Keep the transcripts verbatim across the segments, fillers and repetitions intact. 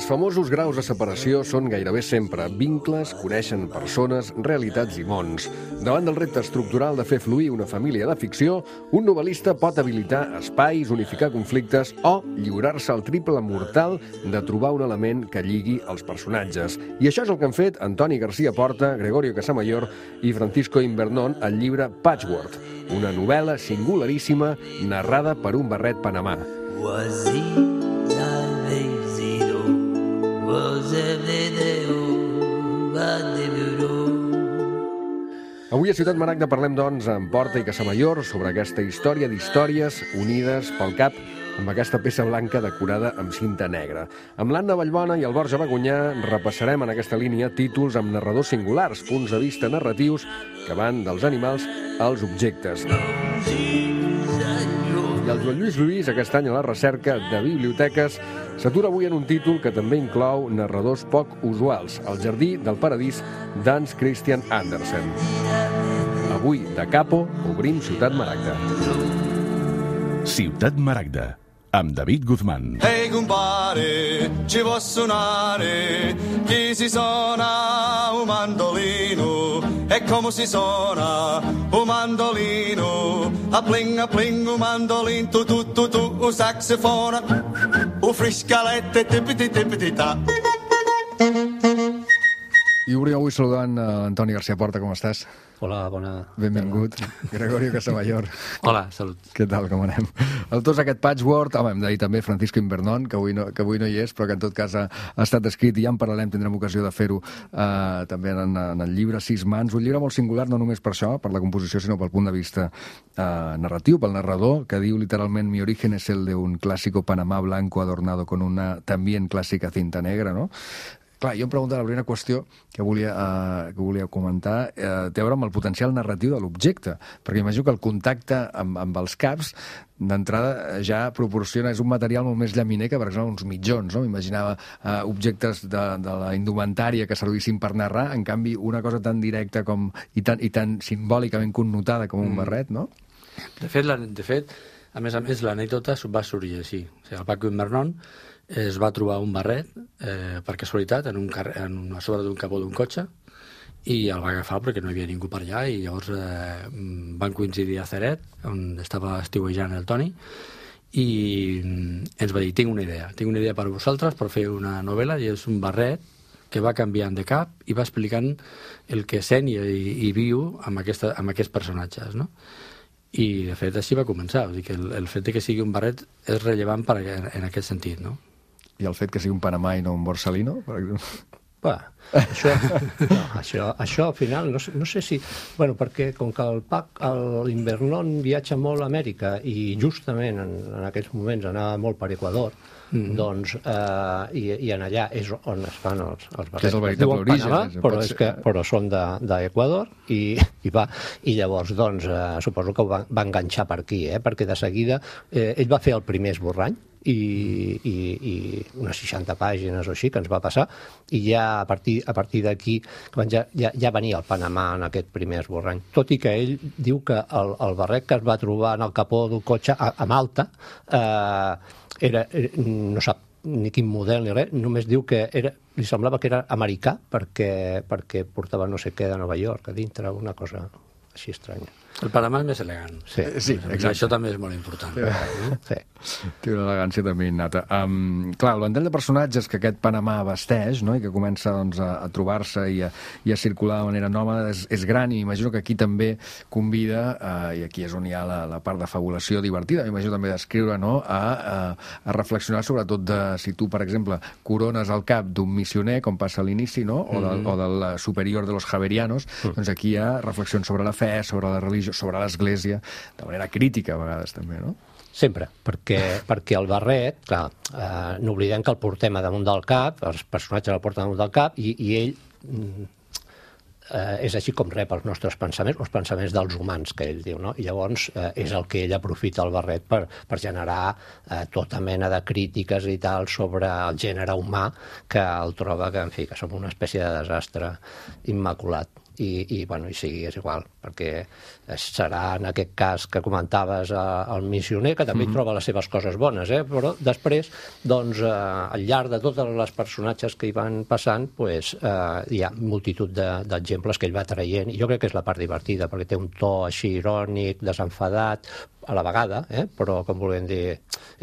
Els famosos graus de separació són gairebé sempre vincles, coneixen persones, realitats i mons. Davant del repte estructural de fer fluir una família de ficció, un novel·lista pot habilitar espais, unificar conflictes o lliurar-se al triple mortal de trobar un element que lligui els personatges. I això és el que han fet Antoni García Porta, Gregorio Casamayor i Francisco Invernón al llibre Patchwork, una novel·la singularíssima narrada per un barret panamà. Avui a Ciutat Maragda parlem, doncs, amb Porta i Casamayor sobre aquesta història d'històries unides pel cap amb aquesta peça blanca decorada amb cinta negra. Amb l'Anna Vallbona i el Borja Bagunyà repassarem en aquesta línia títols amb narradors singulars, punts de vista narratius que van dels animals als objectes. I el Joan Lluís Lluís, aquest any a la recerca de biblioteques, s'atura avui en un títol que també inclou narradors poc usuals, El jardí del paradís d'Hans Christian Andersen. Avui, de Capo, obrim Ciutat Maragda. Ciutat Maragda, amb David Guzmán. Ehi compare, ci può suonare, chi si suona un mandolino, e come si suona un mandolino, a pling a pling un mandolino, tu tu tu tu, un saxofone, un friscalette, tipiti tipiti ta. I obrim avui saludant a Antoni García Porta, com estàs? Hola, bona... Benvingut. Gregorio Casamayor. Hola, salut. Què tal, com anem? Autors d'aquest Patchwork, home, hem de dir també Francisco Invernón, que avui no, que avui no hi és, però que en tot cas ha, ha estat escrit i ja en paral·lel tindrem ocasió de fer-ho eh, també en, en el llibre Sis mans, un llibre molt singular, no només per això, per la composició, sinó pel punt de vista eh, narratiu, pel narrador, que diu literalment mi origen es el de un clásico Panamá blanco adornado con una también clásica cinta negra, no? Clar, jo em pregunto la primera qüestió que volia, uh, que volia comentar uh, té a veure amb el potencial narratiu de l'objecte, perquè imagino que el contacte amb, amb els caps d'entrada ja proporciona, és un material molt més llaminer que, per exemple, uns mitjons, no? M'imaginava uh, objectes de, de la indumentària que servissin per narrar, en canvi una cosa tan directa com, i, tan, i tan simbòlicament connotada com un barret, no? De fet, la, de fet a més a més, l'anècdota va sorgir així. O sigui, el Paco Invernón es va trobar un barret, eh, per casualitat, en un carrer, en una, a sobre d'un capó d'un cotxe, i el va agafar perquè no hi havia ningú per allà, i llavors eh, van coincidir a Ceret, on estava estiuejant el Toni, i ens va dir, tinc una idea, tinc una idea per vosaltres per fer una novel·la, i és un barret que va canviant de cap i va explicant el que sent i, i viu amb, aquesta, amb aquests personatges, no? I, de fet, així va començar. Vull dir que el, el fet de que sigui un barret és rellevant per, en, en aquest sentit, no? I el fet que sigui un Panamà i no un Borsalino, per exemple? Va, això, no, això, això al final, no sé, no sé si... Bueno, perquè com que el Pac, l'Invernón viatja molt a Amèrica i justament en, en aquests moments anava molt per Equador, mm. doncs, eh, i, i en allà és on es fan els, els barrets. Que és el veritable origen. Panamà, és, però, és que, però són d'Equador i, i va. I llavors, doncs, eh, suposo que ho va, va enganxar per aquí, eh, perquè de seguida eh, ell va fer el primer esborrany, i, i, i unes seixanta pàgines o així que ens va passar, i ja a partir, a partir d'aquí ja, ja, ja venia el Panamà en aquest primer esborrany, tot i que ell diu que el, el barret que es va trobar en el capó d'un cotxe a, a Malta eh, era, no sap ni quin model ni res, només diu que era, li semblava que era americà perquè, perquè portava no sé què de Nova York a dintre, una cosa així estranya. El Panamà és més elegant. Sí, sí, exacte. Això també és molt important. Sí. Té una elegància també innata. Um, clar, el ventall de personatges que aquest Panamà vesteix, no?, i que comença doncs, a, a trobar-se i a, i a circular de manera nòmada és, és gran, i imagino que aquí també convida, uh, i aquí és on hi ha la, la part de fabulació divertida, m'imagino també d'escriure, no?, a, a, a reflexionar sobretot de si tu, per exemple, corones el cap d'un missioner, com passa a l'inici, no?, o, del, o del superior de los javerianos, doncs aquí hi ha reflexions sobre la fe, sobre la religió, sobre l'Església, de manera crítica a vegades també, no? Sempre, perquè, perquè el barret, clar, eh, no oblidem que el portem a damunt del cap, els personatges el porten damunt del cap, i, i ell eh, és així com rep els nostres pensaments, els pensaments dels humans, que ell diu, no? I llavors eh, és el que ell aprofita el barret per, per generar eh, tota mena de crítiques i tal sobre el gènere humà, que el troba que, en fi, que som una espècie de desastre immaculat. i, i, bueno, i sí, és igual, perquè serà en aquest cas que comentaves eh, el missioner, que també mm-hmm. troba les seves coses bones, eh? Però després, doncs, eh, al llarg de tots els personatges que hi van passant, pues, eh, hi ha multitud d'exemples de, que ell va traient, i jo crec que és la part divertida, perquè té un to així irònic, desenfadat, a la vegada, eh? Però com volem dir,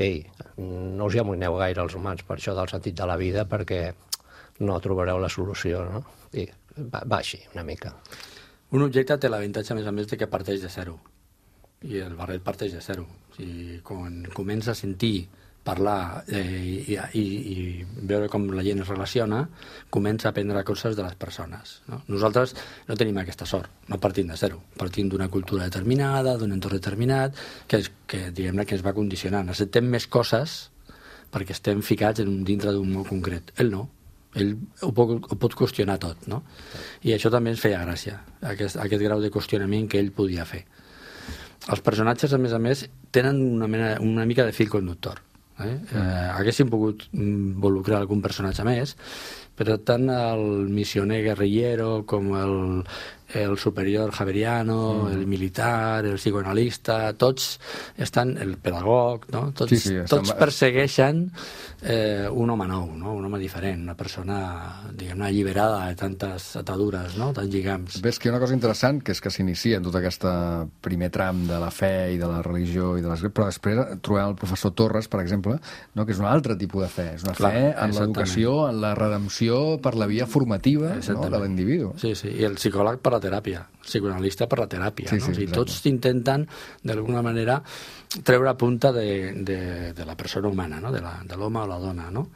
ei, no us hi amoïneu gaire els humans per això del sentit de la vida, perquè no trobareu la solució, no? I va, va així, una mica. Un objecte té l'avantatge, a més a més, de que parteix de zero. I el barret parteix de zero. O sigui, quan comença a sentir, parlar eh, i, i, i veure com la gent es relaciona, comença a aprendre coses de les persones. No? Nosaltres no tenim aquesta sort, no partim de zero. Partim d'una cultura determinada, d'un entorn determinat, que, és, que diguem-ne que ens va condicionant. Acceptem més coses perquè estem ficats en un, dintre d'un mot concret. Ell no. Ell ho pot, ho pot qüestionar tot, no? I això també ens feia gràcia, aquest, aquest grau de qüestionament que ell podia fer. Els personatges, a més a més, tenen una, mena, una mica de fil conductor. Eh? Eh, haguéssim pogut involucrar algun personatge més, però tant el missioner guerrillero com el, el superior javeriano, mm. el militar, el psicoanalista, tots estan, el pedagog, no? Tots, sí, sí, tots persegueixen eh, un home nou, no? Un home diferent, una persona, diguem-ne, alliberada de tantes atadures, no? Tants lligams. Ves que hi ha una cosa interessant, que és que s'inicia en tot aquest primer tram de la fe i de la religió i de l'església, però després trobem el professor Torres, per exemple, no? Que és un altre tipus de fe, és una Clar, fe en l'educació, en la redempció per la via formativa, no? De l'individu. Sí, sí, i el psicòleg per la teràpia, el psicoanalista per la teràpia. Sí, no? Sí, o sigui, tots intenten, d'alguna manera, treure punta de, de, de la persona humana, no? de l'home o la dona. No?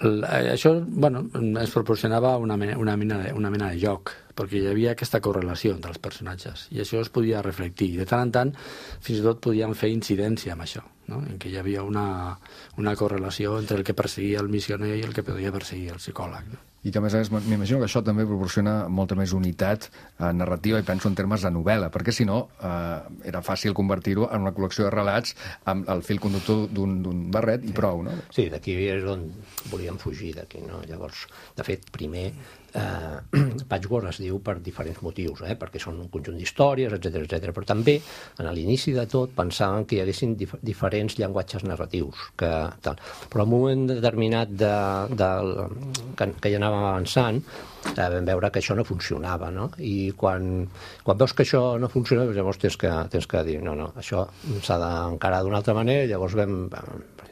El, això bueno, ens proporcionava una mena, una, mena de, una mena de joc, perquè hi havia aquesta correlació entre els personatges, i això es podia reflectir. De tant en tant, fins i tot podíem fer incidència amb això, no? En què hi havia una, una correlació entre el que perseguia el missioner i el que podia perseguir el psicòleg. No? I que, a més a més, m'imagino que això també proporciona molta més unitat eh, narrativa, i penso en termes de novel·la, perquè si no eh, era fàcil convertir-ho en una col·lecció de relats amb el fil conductor d'un barret i prou, no? Sí, d'aquí és on volíem fugir, d'aquí, no? Llavors, de fet, primer, eh, Patchwork es diu per diferents motius, eh? Perquè són un conjunt d'històries, etcètera, etcètera. Però també, a l'inici de tot, pensaven que hi haguessin dif diferents llenguatges narratius, que, tal. Però en un moment determinat de, de, que, que ja anava avançant, eh, vam veure que això no funcionava, no? I quan, quan veus que això no funciona, llavors tens que, tens que dir, no, no, això s'ha d'encarar d'una altra manera. Llavors vam,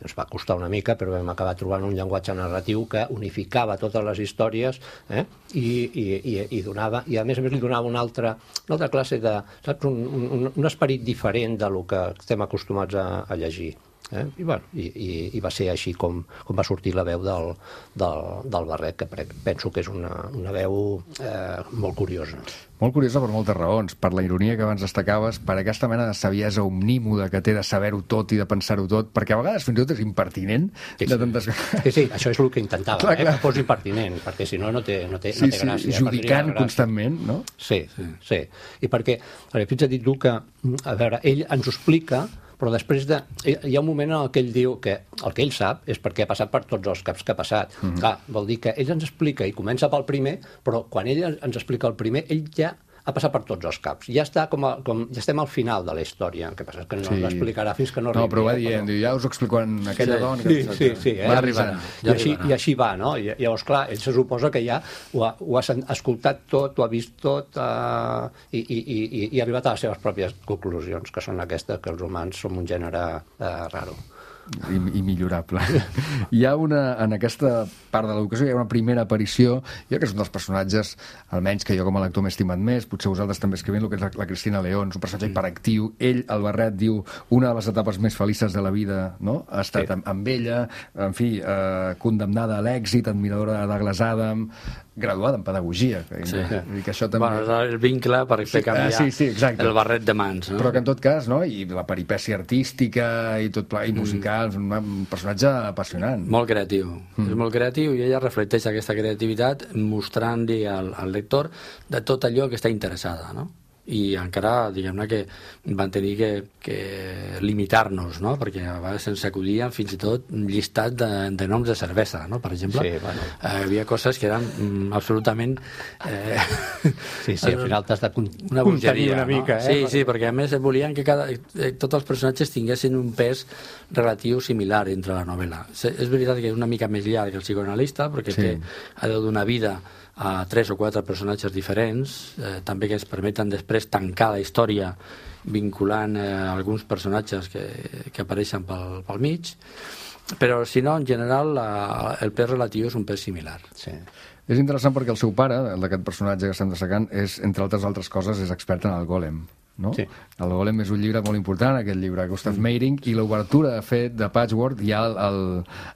ens va costar una mica, però vam acabar trobant un llenguatge narratiu que unificava totes les històries, eh? I, i, i, i donava, i a més a més li donava una altra, una altra classe de, saps, un, un, un esperit diferent de lo que estem acostumats a, a llegir. Eh? I, bueno, i, i, i va ser així com, com va sortir la veu del, del, del Barret, que penso que és una, una veu eh, molt curiosa. Molt curiosa per moltes raons, per la ironia que abans destacaves, per aquesta mena de saviesa omnímoda que té de saber-ho tot i de pensar-ho tot, perquè a vegades fins i tot és impertinent. Sí, de tantes... sí, sí, això és el que intentava, clar, eh? Clar. Que fos impertinent, perquè si no, no té, no té, sí, no té gràcia. Sí, judicant constantment, no? Sí, sí, sí. I perquè, fins a dir tu que, a veure, ell ens ho explica, però després de, hi ha un moment en què ell diu que el que ell sap és perquè ha passat per tots els caps que ha passat. Mm-hmm. Clar, vol dir que ell ens explica i comença pel primer, però quan ell ens explica el primer, ell ja ha passat per tots els caps. Ja està com, a, com ja estem al final de la història, el que passa és que no sí. l'explicarà fins que no arribi. No, però va dient, però... ja us ho explico en aquella sí. dona... Sí, que... sí, sí, eh? Va arribar. Ja I, així, I així va, no? I, llavors, clar, ell se suposa que ja ho ha, ho ha escoltat tot, ho ha vist tot uh, i, i, i, i ha arribat a les seves pròpies conclusions, que són aquestes, que els humans som un gènere uh, raro. I, i millorable. Hi ha una, en aquesta part de l'educació, hi ha una primera aparició, jo que és un dels personatges, almenys que jo com a lector m'he estimat més, potser vosaltres també escrivint, el que és la, la Cristina León, és un personatge hiperactiu. Ell, el Barret, diu una de les etapes més felices de la vida, no? Ha estat sí. amb, amb ella, en fi, eh, condemnada a l'èxit, admiradora de Douglas Adams, graduada en pedagogia. Que, sí. I que això també... Bueno, el vincle per fer canviar sí, sí, sí, el barret de mans. No? Però que en tot cas, no? I la peripècia artística i tot pla, i musical, mm. un personatge apassionant. Molt creatiu. Mm. És molt creatiu i ella reflecteix aquesta creativitat mostrant-li al, al lector de tot allò que està interessada, no? i encara, diguem-ne, que van tenir que, que limitar-nos, no? Perquè a vegades se'ns acudien fins i tot un llistat de, de noms de cervesa, no? Per exemple, sí, bueno. eh, hi havia coses que eren mm, absolutament... Eh, sí, sí, al final t'has de una bogeria, una mica. No? Eh? Sí, sí, perquè a més volien que cada, eh, tots els personatges tinguessin un pes relatiu similar entre la novel·la. És veritat que és una mica més llarg que el psicoanalista, perquè sí. té, ha de donar vida a tres o quatre personatges diferents, eh, també que es permeten després tancar la història vinculant eh, alguns personatges que, que apareixen pel, pel mig, però si no, en general, la, el pes relatiu és un pes similar. Sí. És interessant perquè el seu pare, el d'aquest personatge que estem destacant, és, entre altres altres coses, és expert en el Golem. No? Sí. El Golem és un llibre molt important, aquest llibre, Gustav mm. Meyrink, i l'obertura, de fet, de Patchwork ja el, el,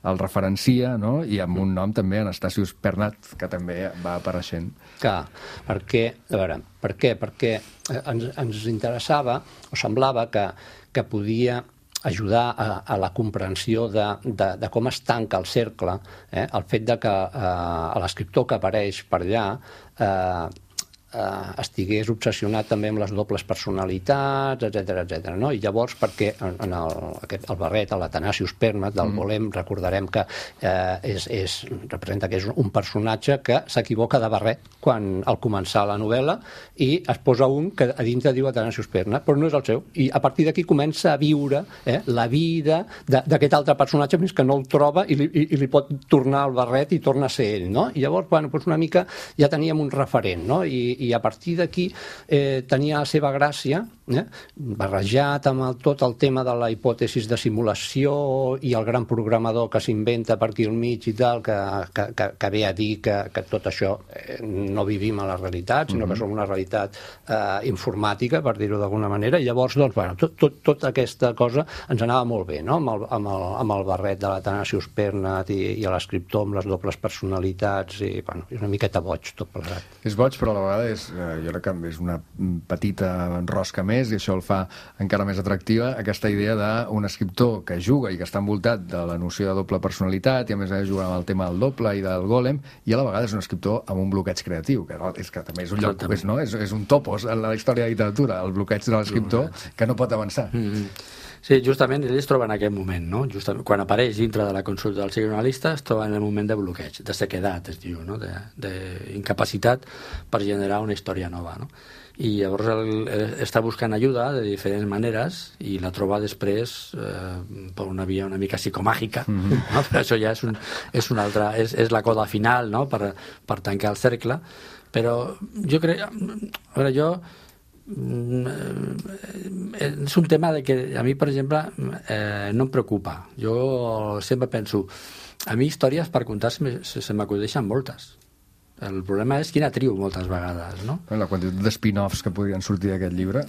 el referencia, no? I amb un nom també, Anastasius Pernat, que també va apareixent. Clar, perquè, a veure, per què? Perquè ens, ens interessava, o semblava que, que podia ajudar a, a la comprensió de, de, de com es tanca el cercle, eh? El fet de que eh, l'escriptor que apareix per allà eh, eh, estigués obsessionat també amb les dobles personalitats, etcètera, etcètera, no? I llavors, perquè en, en el, aquest, el barret, l'Atanasius Pernat del mm. Golem, recordarem que eh, és, és, representa que és un personatge que s'equivoca de barret quan al començar la novel·la i es posa un que a dintre diu Atanasius Pernat, però no és el seu. I a partir d'aquí comença a viure eh, la vida d'aquest altre personatge fins que no el troba i li, i, i li pot tornar el barret i torna a ser ell, no? I llavors, bueno, doncs una mica ja teníem un referent, no? I, i a partir d'aquí eh, tenia la seva gràcia, eh, barrejat amb el, tot el tema de la hipòtesis de simulació i el gran programador que s'inventa per aquí al mig i tal, que, que, que, que ve a dir que, que tot això eh, no vivim a la realitat, sinó que som una realitat eh, informàtica, per dir-ho d'alguna manera, i llavors, doncs, bueno, tot, tot, tota aquesta cosa ens anava molt bé, no? Amb el, amb el, amb el barret de l'Atanasius Pernat i, i l'escriptor amb les dobles personalitats, i, bueno, és una miqueta boig tot plegat. És boig, però a la vegada és, eh, jo crec que és una petita rosca més, i això el fa encara més atractiva, aquesta idea d'un escriptor que juga i que està envoltat de la noció de doble personalitat, i a més a més juga amb el tema del doble i del Golem, i a la vegada és un escriptor amb un bloqueig creatiu, que, és que també és un lloc, és, no? és, és un topos en la història de la literatura, el bloqueig de l'escriptor que no pot avançar. Mm-hmm. Sí, justament ell es troba en aquest moment, no? Justament, quan apareix dintre de la consulta del psicoanalista es troba en el moment de bloqueig, de sequedat, es diu, no? D'incapacitat per generar una història nova, no? I llavors el, el, està buscant ajuda de diferents maneres i la troba després eh, per una via una mica psicomàgica, mm-hmm. no? Però això ja és, un, és una altra, és, és la coda final, no? per, per tancar el cercle, però jo crec, a veure, jo és un tema de que a mi, per exemple, eh, no em preocupa. Jo sempre penso, a mi històries per contar se, se m'acudeixen moltes. El problema és quina trio moltes vegades, no? La quantitat de spin-offs que podrien sortir d'aquest llibre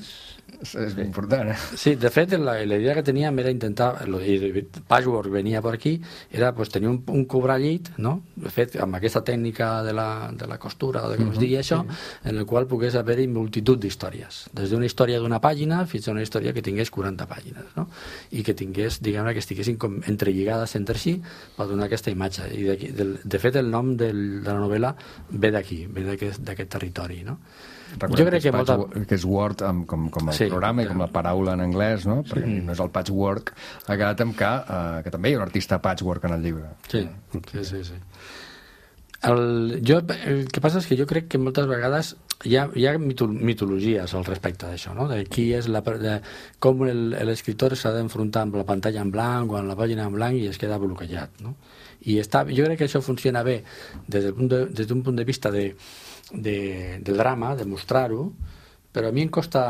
és ben important, eh? Sí, de fet, la, la idea que teníem era intentar, i Patchwork venia per aquí, era pues, tenir un, un cobrellit, no? De fet, amb aquesta tècnica de la, de la costura, o de com uh-huh, es digui això, sí. En el qual pogués haver-hi multitud d'històries. Des d'una història d'una pàgina fins a una història que tingués quaranta pàgines, no? I que tingués, diguem-ne, que estiguessin com entrelligades entre si per donar aquesta imatge. I de, de, de fet, el nom del, de la novel·la ve d'aquí, ve d'aquest territori, no? Recordem jo crec que, que, molta... patch, que és Word amb, com, com el sí, programa i com la paraula en anglès, no? Perquè sí. No és el patchwork, ha quedat amb que, uh, que també hi ha un artista patchwork en el llibre. Sí, sí, sí. sí. El, jo, el que passa és que jo crec que moltes vegades hi ha, hi ha mitologies al respecte d'això, no? De qui és la, de com l'escriptor s'ha d'enfrontar amb la pantalla en blanc o amb la pàgina en blanc i es queda bloquejat, no? I està, jo crec que això funciona bé des d'un de, des d'un punt de vista de, de, de drama, de mostrar-ho, però a mi em costa,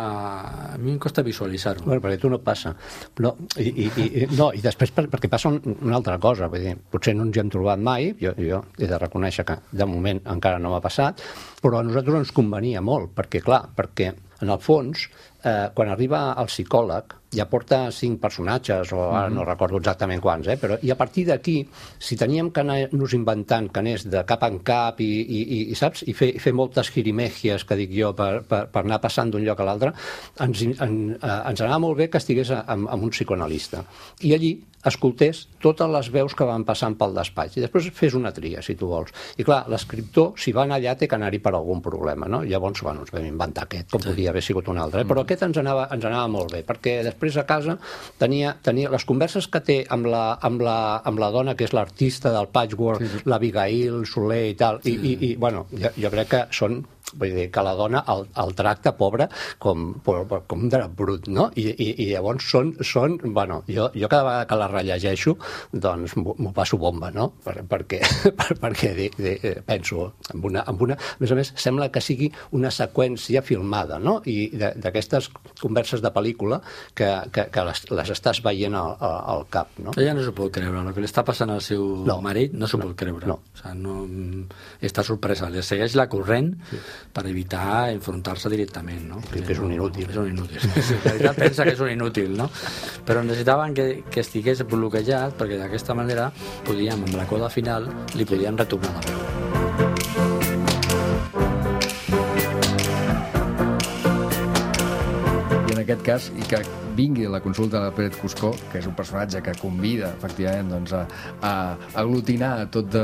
a mi em costa visualitzar-ho. Bueno, perquè tu no passa. Però, i, i, i, no, i després per, perquè passa un, una altra cosa. Vull dir, potser no ens hi hem trobat mai, jo, jo he de reconèixer que de moment encara no m'ha passat, però a nosaltres ens convenia molt, perquè clar, perquè en el fons, eh, quan arriba el psicòleg, ja porta cinc personatges, o ara no recordo exactament quants, eh? Però, i a partir d'aquí, si teníem que anar-nos inventant que anés de cap en cap i, i, i saps? I fer, fer moltes girimegies, que dic jo, per, per, per anar passant d'un lloc a l'altre, ens, en, eh, ens anava molt bé que estigués amb, amb un psicoanalista. I allí escoltés totes les veus que van passant pel despatx i després fes una tria, si tu vols. I clar, l'escriptor, si va anar allà, té que anar-hi per algun problema, no? Llavors, bueno, ens vam inventar aquest, com sí. podia haver sigut un altre. Eh? Però aquest ens anava, ens anava molt bé, perquè després a casa tenia, tenia les converses que té amb la, amb la, amb la dona que és l'artista del patchwork, sí, sí. l'Abigail Soler i tal, sí. i, i, i bueno, jo, jo crec que són vull dir, que la dona el, el tracta, pobra, com, com un drap brut, no? I, i, i llavors són, són bueno, jo, jo cada vegada que la rellegeixo, doncs m'ho passo bomba, no? Per, perquè per, perquè de, de, penso en una, en una... A més a més, sembla que sigui una seqüència filmada, no? I d'aquestes converses de pel·lícula que, que, que les, les estàs veient al, al cap, no? Ella no s'ho pot creure, el que li està passant al seu no, marit no s'ho no, pot creure. No. O sigui, no, està sorpresa, li segueix la corrent sí. per evitar enfrontar-se directament, no? Que, que és un inútil. És un inútil. Sí, la veritat pensa que és un inútil, no? Però necessitaven que, que estigués bloquejat perquè d'aquesta manera podíem, amb la coda final, li podien retornar la veu. I en aquest cas, i que vingui la consulta de Pérez Cuscó, que és un personatge que convida, efectivament, doncs, a, a aglutinar tot de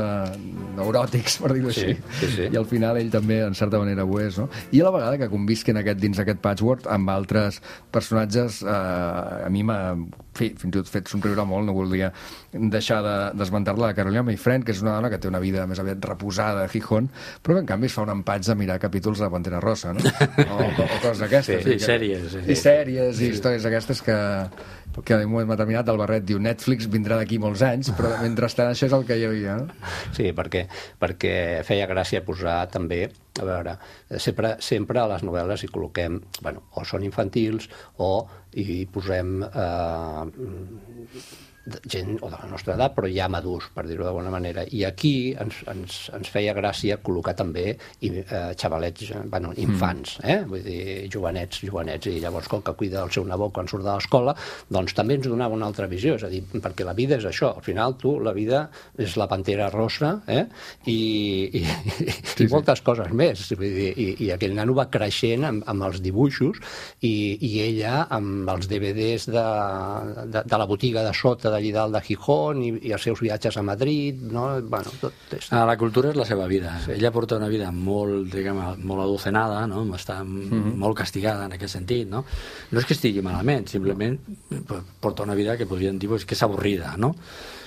neuròtics, per dir-ho així. Sí, sí, sí. I al final ell també, en certa manera, ho és, no? I a la vegada que convisquen aquest, dins aquest patchwork amb altres personatges, eh, a mi m'ha fi, fins i tot fet somriure molt, no voldria deixar d'esmentar-la, de Carolina Mayfriend, que és una dona que té una vida més aviat reposada a Gijón, però que en canvi es fa un empatx de mirar capítols de Pantera Rosa, no? O, o coses d'aquestes. Sí, sí, que, sèries. Sí. I sèries, i sí. històries aquestes que, que en un moment determinat el Barret diu Netflix vindrà d'aquí molts anys, però mentrestant això és el que hi havia, no? Sí, perquè, perquè feia gràcia posar també, a veure, sempre, sempre a les novel·les hi col·loquem, bueno, o són infantils o hi posem eh, gent o de la nostra edat, però ja madurs, per dir-ho d'alguna manera. I aquí ens, ens, ens feia gràcia col·locar també i, eh, xavalets, bueno, infants, eh? Vull dir, jovenets, jovenets, i llavors com que cuida el seu nebot quan surt de l'escola, doncs també ens donava una altra visió, és a dir, perquè la vida és això, al final tu, la vida és la Pantera Rosa, eh? I, i, i, sí, i moltes sí. coses més, vull dir, i, i aquell nano va creixent amb, amb els dibuixos i, i ella amb els D V Ds de, de, de la botiga de sota d'allí dalt de Gijón i, i els seus viatges a Madrid, no? Bueno, tot és... Ah, la cultura és la seva vida. Sí. Ella porta una vida molt, diguem, molt adocenada, no? Està mm-hmm. molt castigada en aquest sentit, no? No és que estigui malament, simplement porta una vida que podríem dir pues, que és avorrida, no?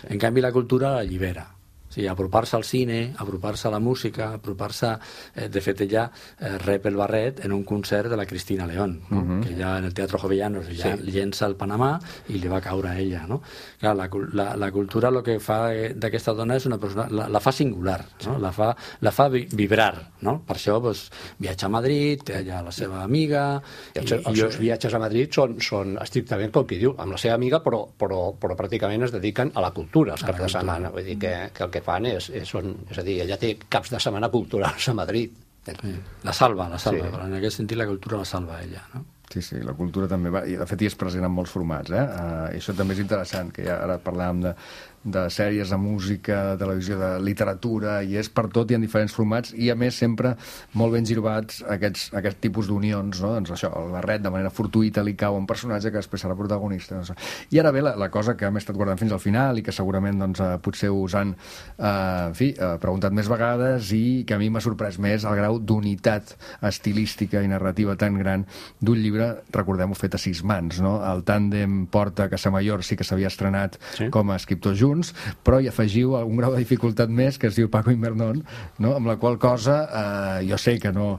En canvi, la cultura la allibera. Sí, apropar-se al cine, apropar-se a la música, apropar-se... Eh, de fet, ella eh, rep el Barret en un concert de la Cristina León, no? Uh-huh. Que ella en el Teatro Jovellanos ja sí. llença el Panamà i li va caure a ella, no? Clar, la, la, la cultura el que fa d'aquesta dona és una persona... La, la fa singular, no? Sí. La fa, la fa vibrar, no? Per això pues, viatja a Madrid, té allà la seva amiga... I els, i, els seus viatges a Madrid són, són estrictament, com qui diu, amb la seva amiga, però, però, però pràcticament es dediquen a la cultura els caps de setmana. Vull dir que, que el que fan és, és, són, és a dir, ella té caps de setmana culturals a Madrid. Sí. La salva, la salva, sí. Però en aquest sentit la cultura la salva ella, no? Sí, sí, la cultura també va, i de fet hi és present en molts formats, eh? Uh, i això també és interessant, que ja ara parlàvem de, de sèries, de música, de televisió, de literatura, i és per tot, hi ha diferents formats, i a més sempre molt ben girbats aquests, aquest tipus d'unions, no? Doncs això, el Barret de manera fortuïta li cau a un personatge que després serà protagonista. No? I ara ve la, la cosa que hem estat guardant fins al final i que segurament doncs, uh, potser us han uh, en fi, uh, preguntat més vegades i que a mi m'ha sorprès més el grau d'unitat estilística i narrativa tan gran d'un llibre, recordem-ho, fet a sis mans, no? El tàndem Porta Casamayor sí que s'havia estrenat sí. com a escriptors junts, però hi afegiu un grau de dificultat més que es diu Paco Invernon, no? Amb la qual cosa eh, jo sé que no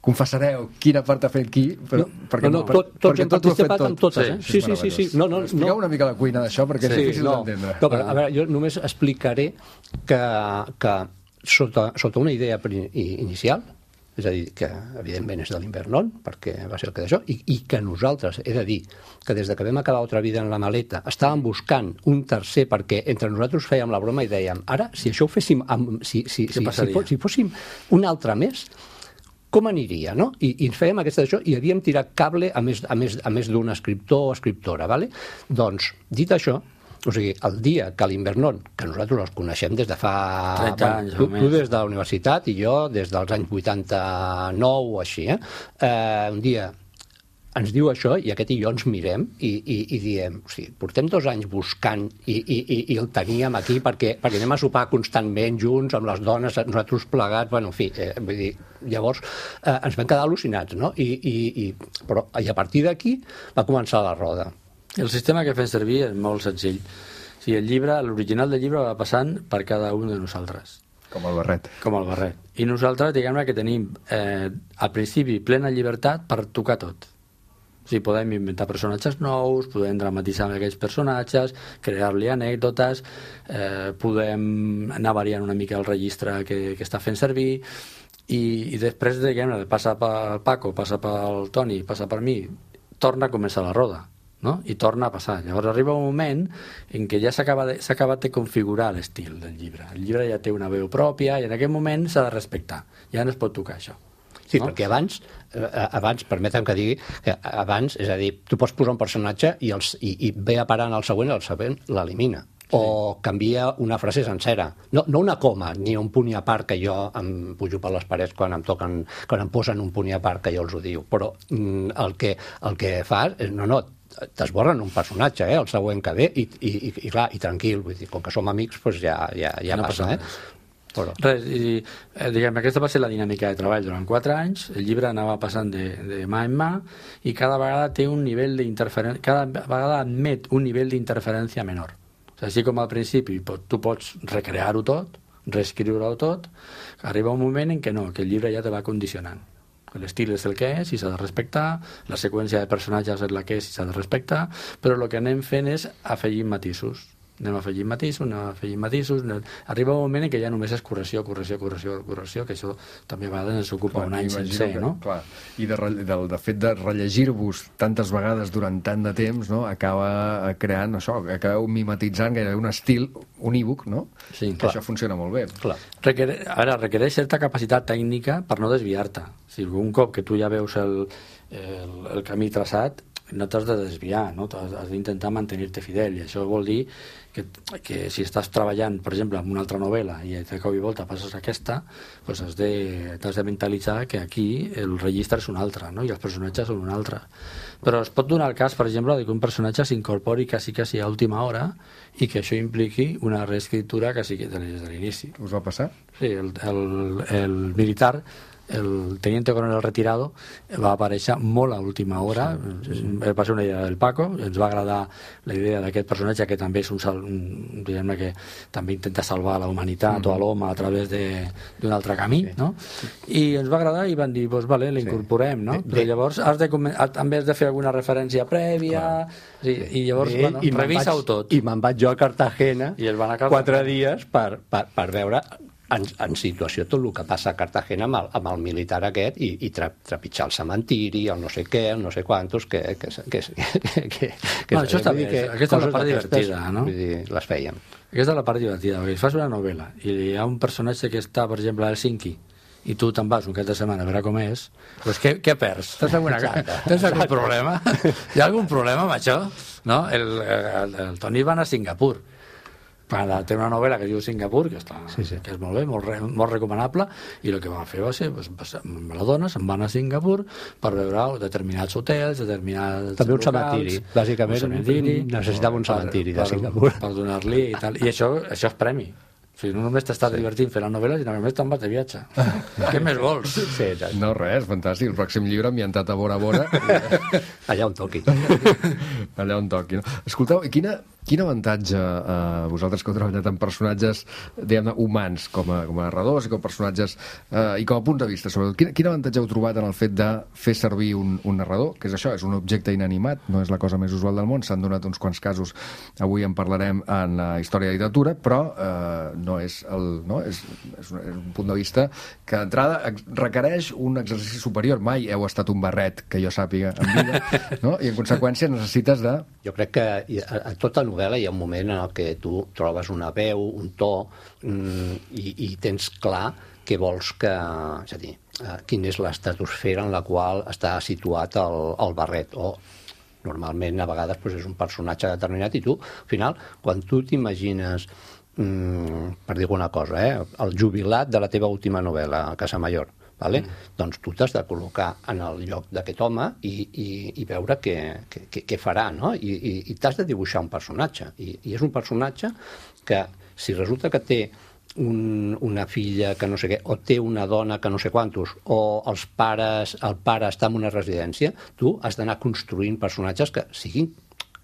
confessareu quina part ha fet qui, però no, perquè no, no, per, tot, tots hem participat tot. amb totes, eh? Sí, sí, sí, sí. No, no, expliqueu no. una mica la cuina d'això, perquè sí, és difícil no, d'entendre. No, però, a veure, jo només explicaré que, que sota, sota una idea inicial, és a dir, que evidentment és de l'Invernon, perquè va ser el que d'això, i, i que nosaltres, he de dir, que des de que vam acabar Otra vida en la maleta, estàvem buscant un tercer, perquè entre nosaltres fèiem la broma i dèiem, ara, si això ho féssim, amb, si, si, si, si, fos, si fóssim un altre més, com aniria, no? I, i ens fèiem aquesta d'això i havíem tirat cable a més, a més, a més d'un escriptor o escriptora, vale? Doncs, dit això, o sigui, el dia que l'Invernon, que nosaltres els coneixem des de fa... trenta anys, tu, tu des de la universitat i jo des dels anys vuitanta-nou o així, eh? eh un dia ens diu això i aquest i jo ens mirem i, i, i diem, o sigui, portem dos anys buscant i, i, i, i el teníem aquí perquè, perquè anem a sopar constantment junts amb les dones, nosaltres plegats, bueno, en fi, eh, vull dir, llavors eh, ens vam quedar al·lucinats, no? I, i, i, però, i a partir d'aquí va començar la roda. El sistema que fem servir és molt senzill. O sigui, el llibre, l'original del llibre va passant per cada un de nosaltres. Com el barret. Com el barret. I nosaltres, diguem-ne que tenim eh, al principi plena llibertat per tocar tot. O sigui, podem inventar personatges nous, podem dramatitzar amb aquells personatges, crear-li anècdotes, eh, podem anar variant una mica el registre que, que està fent servir, i, i després, diguem-ne, passa pel Paco, passa pel Toni, passa per mi, torna a començar la roda, no? I torna a passar. Llavors arriba un moment en què ja s'ha acabat de configurar l'estil del llibre. El llibre ja té una veu pròpia i en aquest moment s'ha de respectar. Ja no es pot tocar això. Sí, no? perquè abans, eh, abans, permetem que digui, que abans, és a dir, tu pots posar un personatge i, els, i, i ve a parar en el següent, el següent l'elimina. Sí. O canvia una frase sencera. No, no una coma, ni un punt i a part que jo em pujo per les parets quan em toquen, quan em posen un punt i a part que jo els ho diu. Però mm, el, que, el que fas és, no, no, t'esborren un personatge, eh, el següent que ve, i, i, i, i clar, i tranquil, vull dir, com que som amics, doncs ja, ja, ja no passa, passa eh? Però... Res, i, eh, diguem, aquesta va ser la dinàmica de treball durant quatre anys. El llibre anava passant de, de mà en mà i cada vegada té un nivell d'interferència, cada vegada admet un nivell d'interferència menor. O sigui, així com al principi tu pots recrear-ho tot, reescriure-ho tot, arriba un moment en què no, que el llibre ja te va condicionant. L'estil és el que és i s'ha de respectar, la seqüència de personatges és la que és i s'ha de respectar, però el que anem fent és afegir matisos. Anem afegint matisos, anem afegint matisos, anem... arriba un moment en què ja només és correcció, correcció, correcció, correcció, que això també a vegades ens ocupa clar, un any sencer, que, no? Clar. I de, de, de fet de rellegir-vos tantes vegades durant tant de temps, no? Acaba creant això, acabeu mimetitzant gairebé un estil unívoc, no? Sí, que clar. Això funciona molt bé. Clar. Requer... Ara, requereix certa capacitat tècnica per no desviar-te. O sigui, un cop que tu ja veus el, el, el camí traçat, no t'has de desviar, no? Has d'intentar mantenir-te fidel, i això vol dir que, que si estàs treballant, per exemple, en una altra novel·la i de cop i volta passes a aquesta, doncs has de, t'has de mentalitzar que aquí el registre és un altre, no? I els personatges són un altre. Però es pot donar el cas, per exemple, que un personatge s'incorpori quasi, quasi a última hora i que això impliqui una reescriptura quasi des de l'inici. Us va passar? Sí, el, el, el militar, el teniente coronel retirado, va aparèixer molt a última hora. Sí, sí, sí. Va ser una idea del Paco, ens va agradar la idea d'aquest personatge que també és un, sal, un diguem-ne que també intenta salvar la humanitat mm. o a l'home a través d'un altre camí, sí. no? I ens va agradar i van dir, doncs vale, l'incorporem, no? Sí. Però llavors has de, també has de fer alguna referència prèvia, sí, i llavors, Bé, bueno, revisa-ho tot. I me'n vaig jo a Cartagena I el van a Cartagena. quatre dies per, per, per veure en, en situació tot el que passa a Cartagena amb el, amb el militar aquest i, i tra, trepitjar el cementiri, el no sé què, el no sé quantos, que... que, que, que, que, que no, això està bé, que, aquesta és la part divertida, no? Vull dir, les fèiem. Aquesta és la part divertida, perquè fas una novel·la i hi ha un personatge que està, per exemple, a Helsinki, i tu te'n vas un cap de setmana a veure com és, doncs què, què perds? Tens alguna cosa? Tens algun problema? Hi ha algun problema amb això? No? El, el, el Toni va anar a Singapur. Té una novel·la que es diu Singapur, que, està, sí, sí. que és molt bé, molt, re, molt recomanable, i el que van fer va ser, pues, amb la dona se'n van a Singapur per veure determinats hotels, determinats també un locals, cementiri, bàsicament un cementiri, necessitava un cementiri per, de Singapur. Per, per donar-li i tal, i això, això és premi. O sigui, no només t'estàs sí. divertint fent la novel·la, sinó que només te'n vas de viatge. Què més vols? Sí, no, res, fantàstic. El pròxim llibre ambientat a Bora Bora. Allà on toqui. Allà on toqui. No? Escolteu, quina, quin avantatge, eh, vosaltres que heu treballat amb personatges, diguem-ne, humans, com a, com a narradors i com a personatges, eh, i com a punt de vista, sobretot, quin, quin avantatge heu trobat en el fet de fer servir un, un narrador, que és això, és un objecte inanimat, no és la cosa més usual del món, s'han donat uns quants casos, avui en parlarem en la història de literatura, però eh, no és, el, no? És, és, un, és un punt de vista que d'entrada requereix un exercici superior. Mai heu estat un barret, que jo sàpiga, en vida, no? I en conseqüència necessites de... Jo crec que a, a tota novel·la hi ha un moment en el que tu trobes una veu, un to, mm, i, i tens clar què vols que... És a dir, eh, quina és l'estratosfera en la qual està situat el, el barret, o normalment a vegades doncs, és un personatge determinat i tu, al final, quan tu t'imagines, mm, per dir alguna cosa, eh, el jubilat de la teva última novel·la, Casamayor, vale? Mm. doncs tu t'has de col·locar en el lloc d'aquest home i, i, i veure què, què, què farà, no? I, i, i t'has de dibuixar un personatge. I, I és un personatge que, si resulta que té un, una filla que no sé què, o té una dona que no sé quantos, o els pares, el pare està en una residència, tu has d'anar construint personatges que siguin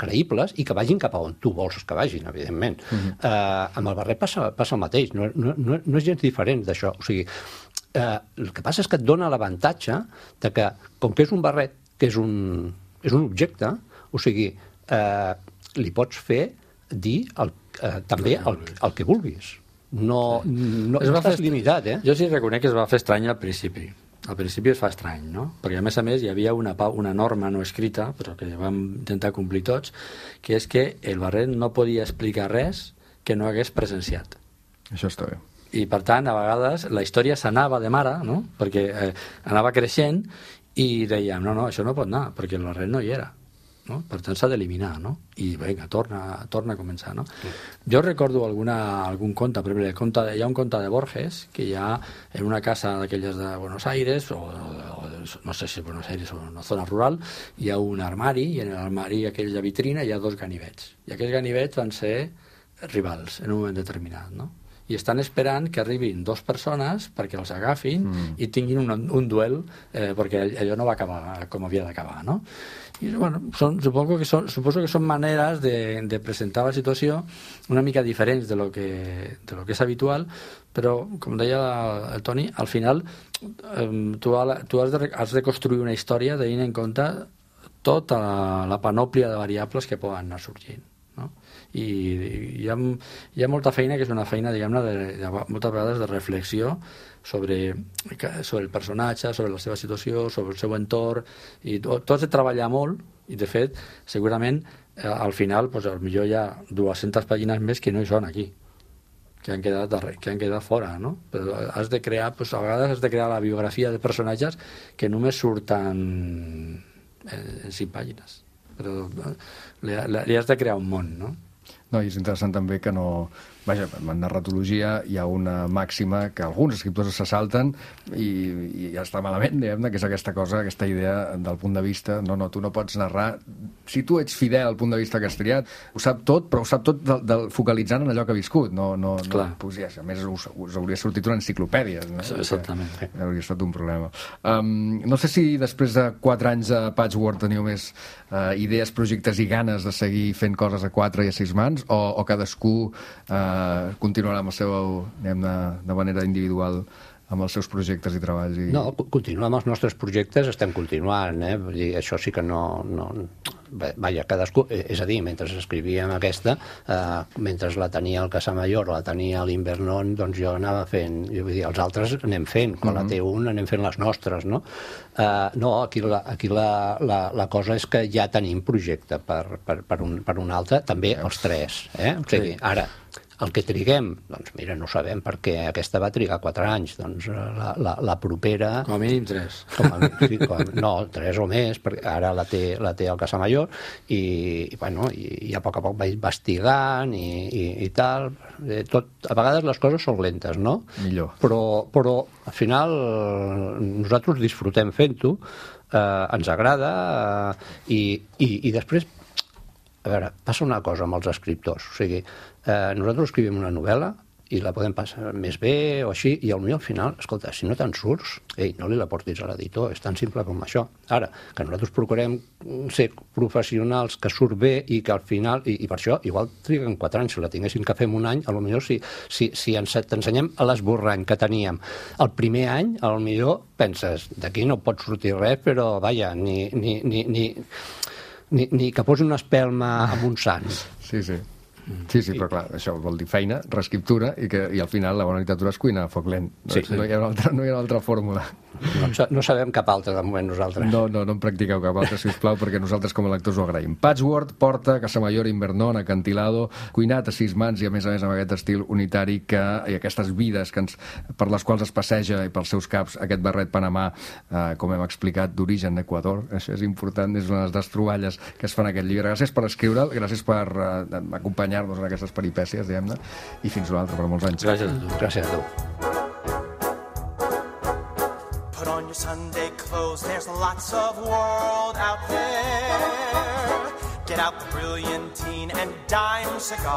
creïbles i que vagin cap a on tu vols que vagin, evidentment. Uh-huh. Uh, amb el barret passa, passa el mateix, no, no, no, no és gens diferent d'això. O sigui, uh, el que passa és que et dona l'avantatge de que, com que és un barret, que és un, és un objecte, o sigui, uh, li pots fer dir el, uh, també el, el que vulguis. No, no, no estàs limitat, eh? Jo sí reconec que es va fer estrany al principi. Al principi es fa estrany, no? Perquè a més a més hi havia una, una norma no escrita, però que vam intentar complir tots, que és que el barret no podia explicar res que no hagués presenciat. Això està bé. I per tant, a vegades la història s'anava de mare, no? Perquè eh, anava creixent i dèiem, no, no, això no pot anar, perquè el barret no hi era. No? Per tant s'ha d'eliminar, no? I vinga, torna, torna a començar, no? Sí. Jo recordo alguna, algun conte, per exemple, el conte, hi ha un conte de Borges que hi ha en una casa d'aquelles de Buenos Aires, o, o no sé si Buenos Aires o una zona rural, hi ha un armari, i en l'armari aquella vitrina hi ha dos ganivets, i aquests ganivets van ser rivals en un moment determinat, no? I estan esperant que arribin dues persones perquè els agafin mm. i tinguin un, un duel, eh, perquè allò no va acabar com havia d'acabar, no? I, bueno, són, suposo, que són, suposo que són maneres de, de presentar la situació una mica diferents de lo que, de lo que és habitual, però, com deia el Toni, al final eh, tu, tu has, de, has de construir una història tenint en compte tota la, la panòplia de variables que poden anar sorgint. No? I hi ha, hi ha molta feina que és una feina, diguem-ne, de, de, moltes vegades de reflexió sobre, sobre el personatge, sobre la seva situació, sobre el seu entorn, i tot, tot has de treballar molt, i de fet, segurament, eh, al final, pues, potser hi ha dues-centes pàgines més que no hi són aquí, que han quedat, que han quedat fora, no? Però has de crear, pues, a vegades has de crear la biografia de personatges que només surten en, en cinc pàgines. Però li, li has de crear un món, no? No, i és interessant també que no... Vaja, en narratologia hi ha una màxima que alguns escriptors se salten i, i ja està malament, diguem-ne, que és aquesta cosa, aquesta idea del punt de vista. No, no, tu no pots narrar... Si tu ets fidel al punt de vista que has triat, ho sap tot, però ho sap tot del, del, focalitzant en allò que ha viscut. No, no, no, pues ja, a més, us, us hauria sortit una enciclopèdia. No? Exactament. Que hauria estat un problema. Um, no sé si després de quatre anys a Patchwork teniu més uh, idees, projectes i ganes de seguir fent coses a quatre i a sis mans, o, o cadascú uh, continuarà amb el seu, diguem, de, de manera individual amb els seus projectes i treballs? I... No, continuar amb els nostres projectes, estem continuant, eh? Vull dir, això sí que no... no... Vaja, cadascú... És a dir, mentre escrivíem aquesta, eh, mentre la tenia el Casamayor o la tenia l'Invernon, doncs jo anava fent... Jo vull dir, els altres anem fent, quan uh-huh. la té un anem fent les nostres, no? Eh, no, aquí, la, aquí la, la, la cosa és que ja tenim projecte per, per, per, un, per un altre, també els tres, eh? O sigui, ara... El que triguem, doncs mira, no sabem perquè aquesta va trigar quatre anys, doncs la, la, la propera... Com a mínim tres. Com a, sí, com a, no, tres o més, perquè ara la té, la té el Casamayor i, i, bueno, i, i a poc a poc va investigant i, i, i tal. Tot, a vegades les coses són lentes, no? Millor. Però, però al final nosaltres disfrutem fent-ho, eh, ens agrada eh, i, i, i després... A veure, passa una cosa amb els escriptors, o sigui, eh, nosaltres escrivim una novel·la i la podem passar més bé o així, i potser al final, escolta, si no te'n surts, ei, no li la portis a l'editor, és tan simple com això. Ara, que nosaltres procurem ser professionals, que surt bé i que al final, i, i per això, igual triguen quatre anys, si la tinguéssim que fem un any, potser si, si, si ens t'ensenyem l'esborrany que teníem el primer any, potser penses, d'aquí no pot sortir res, però vaja, ni... ni, ni, ni Ni, ni que posi una espelma amb un sant. Sí, sí. Sí, sí, però clar, això vol dir feina, reescriptura, i, que, i al final la bona literatura és cuina a foc lent. No, sí, no, hi ha una altra, no hi ha una altra fórmula. No, no sabem cap altre de moment nosaltres. No, no, no en practiqueu cap altre, sisplau, perquè nosaltres com a lectors ho agraïm. Patchwork porta Casamayor, Invernón, Acantilado, cuinat a sis mans i a més a més amb aquest estil unitari que, i aquestes vides que ens, per les quals es passeja i pels seus caps aquest barret panamà, eh, com hem explicat, d'origen d'Equador. Això és important, és una de les troballes que es fan en aquest llibre. Gràcies per escriure'l, gràcies per eh, acompanyar-nos en aquestes peripècies, diguem-ne, i fins una altra per molts anys. Gràcies a tu. Gràcies a tu. Put on your Sunday clothes, there's lots of world out there. Get out the brilliantine and dime cigars.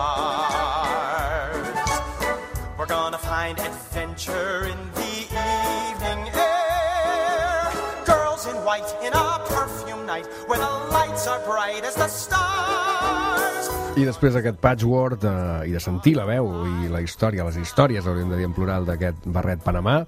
We're gonna find adventure in the evening air. Girls in white in a perfume night where the lights are bright as the stars. I després d'aquest patchwork eh, i de sentir la veu i la història, les històries, hauríem de dir en plural, d'aquest barret panamà,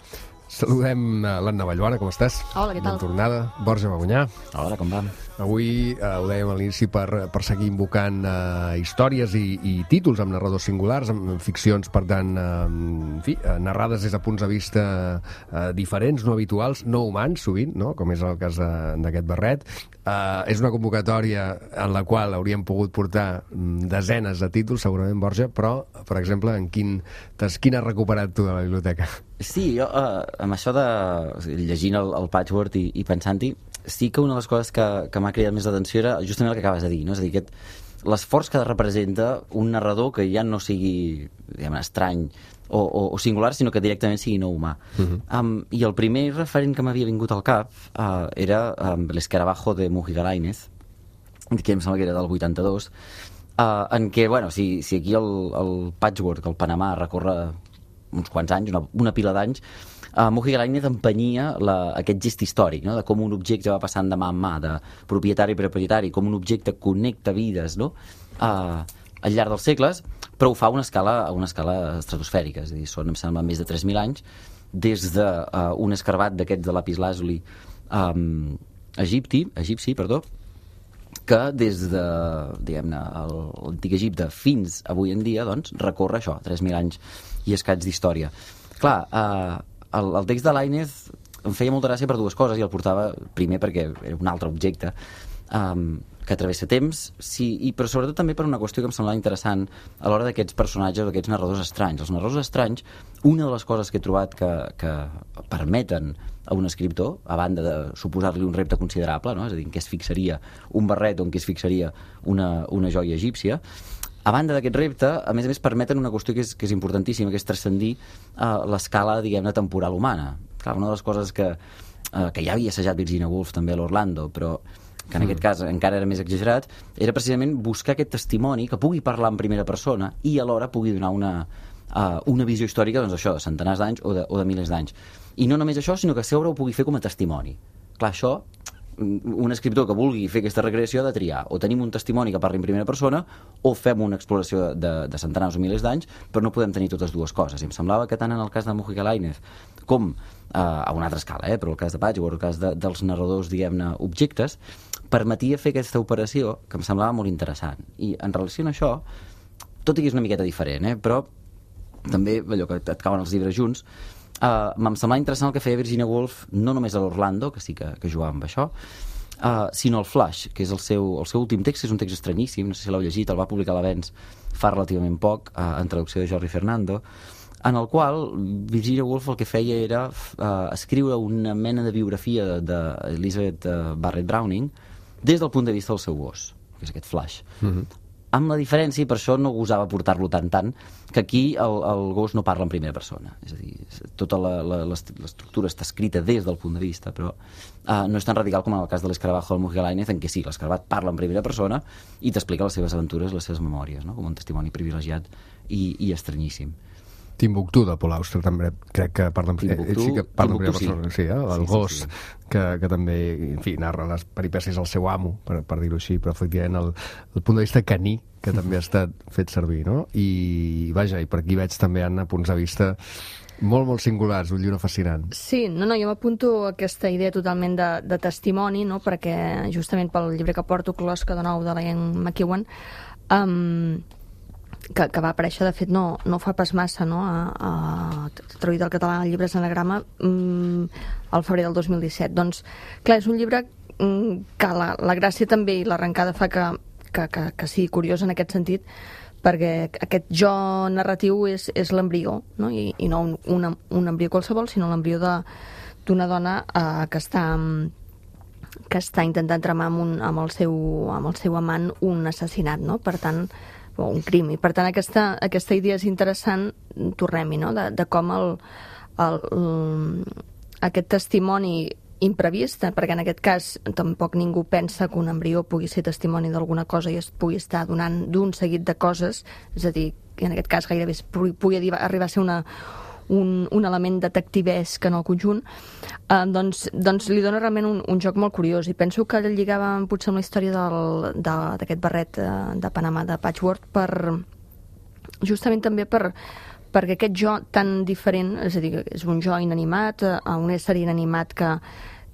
saludem l'Anna Vallbona, com estàs? Hola, què tal? Bona tornada. Borja Bagunyà. Hola, com va? Avui eh, ho dèiem a l'inici per, per seguir invocant eh, històries i, i títols amb narradors singulars, amb ficcions, per tant, eh, en fi, eh, narrades des de punts de vista eh, diferents, no habituals, no humans, sovint, no? Com és el cas d'aquest barret. Eh, és una convocatòria en la qual hauríem pogut portar desenes de títols, segurament, Borja, però, per exemple, en quin, quin has recuperat tu de la biblioteca? Sí, jo, eh, amb això de... O sigui, llegint el, el patchwork i, i pensant-hi, sí que una de les coses que, que m'ha cridat més l'atenció era justament el que acabes de dir, no? És a dir, aquest, l'esforç que representa un narrador que ja no sigui, diguem, estrany o, o, o singular, sinó que directament sigui no humà. Uh-huh. um, I el primer referent que m'havia vingut al cap uh, era um, l'Escarabajo de Mujica Lainez, que em sembla que era del vuitanta-dos, uh, en què, bueno, si, si aquí el, el patchwork, el Panamà, recorre uns quants anys, una, una pila d'anys, uh, Mujica Lainez empenyia la, aquest gest històric, no? De com un objecte va passant de mà en mà, de propietari per propietari, com un objecte connecta vides, no? uh, al llarg dels segles, però ho fa a una escala, a una escala estratosfèrica, és a dir, són, em sembla, més de tres mil anys, des d'un uh, un escarbat d'aquests de lapislàzuli um, egipti, egipci, perdó, que des de, diguem-ne, l'antic Egipte fins avui en dia, doncs, recorre això, tres mil anys i escaig d'història. Clar, eh, el, el text de Lainez em feia molta gràcia per dues coses, i el portava primer perquè era un altre objecte um, que travessa temps, sí, i, però sobretot també per una qüestió que em semblava interessant a l'hora d'aquests personatges, d'aquests narradors estranys. Els narradors estranys, una de les coses que he trobat que, que permeten a un escriptor, a banda de suposar-li un repte considerable, no? És a dir, en què es fixaria un barret o en què es fixaria una, una joia egípcia, a banda d'aquest repte, a més a més permeten una qüestió que és, que és importantíssima, que és transcendir uh, l'escala, diguem-ne, temporal humana. Clar, una de les coses que, uh, que ja havia assajat Virginia Woolf també a l'Orlando, però que en aquest cas encara era més exagerat, era precisament buscar aquest testimoni que pugui parlar en primera persona i alhora pugui donar una, uh, una visió històrica, doncs això, de centenars d'anys o, de, o de milers d'anys. I no només això, sinó que sempre ho pugui fer com a testimoni. Clar, això, un escriptor que vulgui fer aquesta recreació ha de triar. O tenim un testimoni que parli en primera persona o fem una exploració de, de centenars o milers d'anys, però no podem tenir totes dues coses. I em semblava que tant en el cas de Mujica Lainez com eh, a una altra escala, eh, però el cas de Patchwork, el cas de, dels narradors, diguem-ne, objectes, permetia fer aquesta operació que em semblava molt interessant. I en relació a això, tot i que és una miqueta diferent, eh, però també, allò que et cauen els llibres junts, Uh, m'em semblava interessant el que feia Virginia Woolf, no només a l'Orlando, que sí que, que jugava amb això, uh, sinó el Flash, que és el seu, el seu últim text, que és un text estranyíssim, no sé si l'heu llegit, el va publicar a l'Avenç fa relativament poc, uh, en traducció de Jordi Fernando, en el qual Virginia Woolf el que feia era uh, escriure una mena de biografia d'Elizabeth uh, Barrett Browning des del punt de vista del seu gos, que és aquest Flash. Mm-hmm. Amb la diferència, i per això no gosava portar-lo tant tant, que aquí el, el gos no parla en primera persona. És a dir, tota la, la, l'estructura està escrita des del punt de vista, però uh, no és tan radical com en el cas de l'Escarabajo del Mujica Lainez, en què sí, l'Escarabat parla en primera persona i t'explica les seves aventures, les seves memòries, no? Com un testimoni privilegiat i, i estranyíssim. Timbuktu, de Paul Auster, també crec que parla en primera persona. Sí, que parla en primera persona, sí, eh? El sí, gos, sí, sí. Que, que també, en fi, narra les peripècies del seu amo, per, per dir-ho així, però efectivament el, el punt de vista caní, que també ha estat fet servir, no? I, vaja, i per aquí veig també, Anna, punts de vista molt, molt singulars, un llibre fascinant. Sí, no, no, jo m'apunto aquesta idea totalment de, de testimoni, no?, perquè justament pel llibre que porto, Closca, de nou, de la Ian McEwan, um, que, que va aparèixer, de fet, no, no fa pas massa, no?, a, a traduït al català el llibre Anagrama mm, al febrer del dos mil disset. Doncs, clar, és un llibre mm, que la, la gràcia també i l'arrencada fa que, que, que, que sigui curiós en aquest sentit, perquè aquest jo narratiu és, és l'embrió, no?, I, i no un, un, un embrió qualsevol, sinó l'embrió d'una dona eh, que està que està intentant tramar amb, un, amb, el seu, amb el seu amant un assassinat, no?, per tant, o un crim. I per tant aquesta, aquesta idea és interessant, tornem-hi, no?, de, de com el, el, el, aquest testimoni imprevist, perquè en aquest cas tampoc ningú pensa que un embrió pugui ser testimoni d'alguna cosa i es pugui estar donant d'un seguit de coses, és a dir, que en aquest cas gairebé pugui, pugui arribar a ser una, un, un element detectivesc en el conjunt, eh, doncs, doncs li dona realment un, un joc molt curiós, i penso que el lligava potser amb la història del, de, d'aquest barret de, de Panamà de Patchwork, per justament també per perquè aquest jo tan diferent, és a dir, és un jo inanimat, a un ésser inanimat que,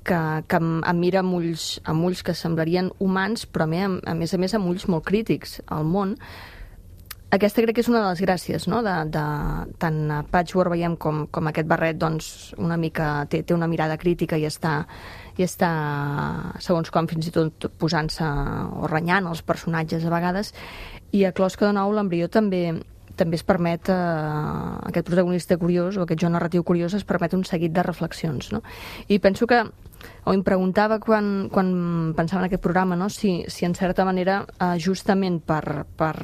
que, que em, em mira amb ulls, amb ulls que semblarien humans, però a, mi, a més a més amb ulls molt crítics al món. Aquesta crec que és una de les gràcies, no?, de, de, tant a Patchwork veiem com, com aquest barret, doncs, una mica té, té una mirada crítica i està, i està, segons com, fins i tot posant-se o renyant els personatges a vegades, i a Closca de nou l'embrió també també es permet, eh, aquest protagonista curiós o aquest jo narratiu curiós es permet un seguit de reflexions, no? I penso que, o em preguntava quan, quan pensava en aquest programa, no?, si, si en certa manera eh, justament per, per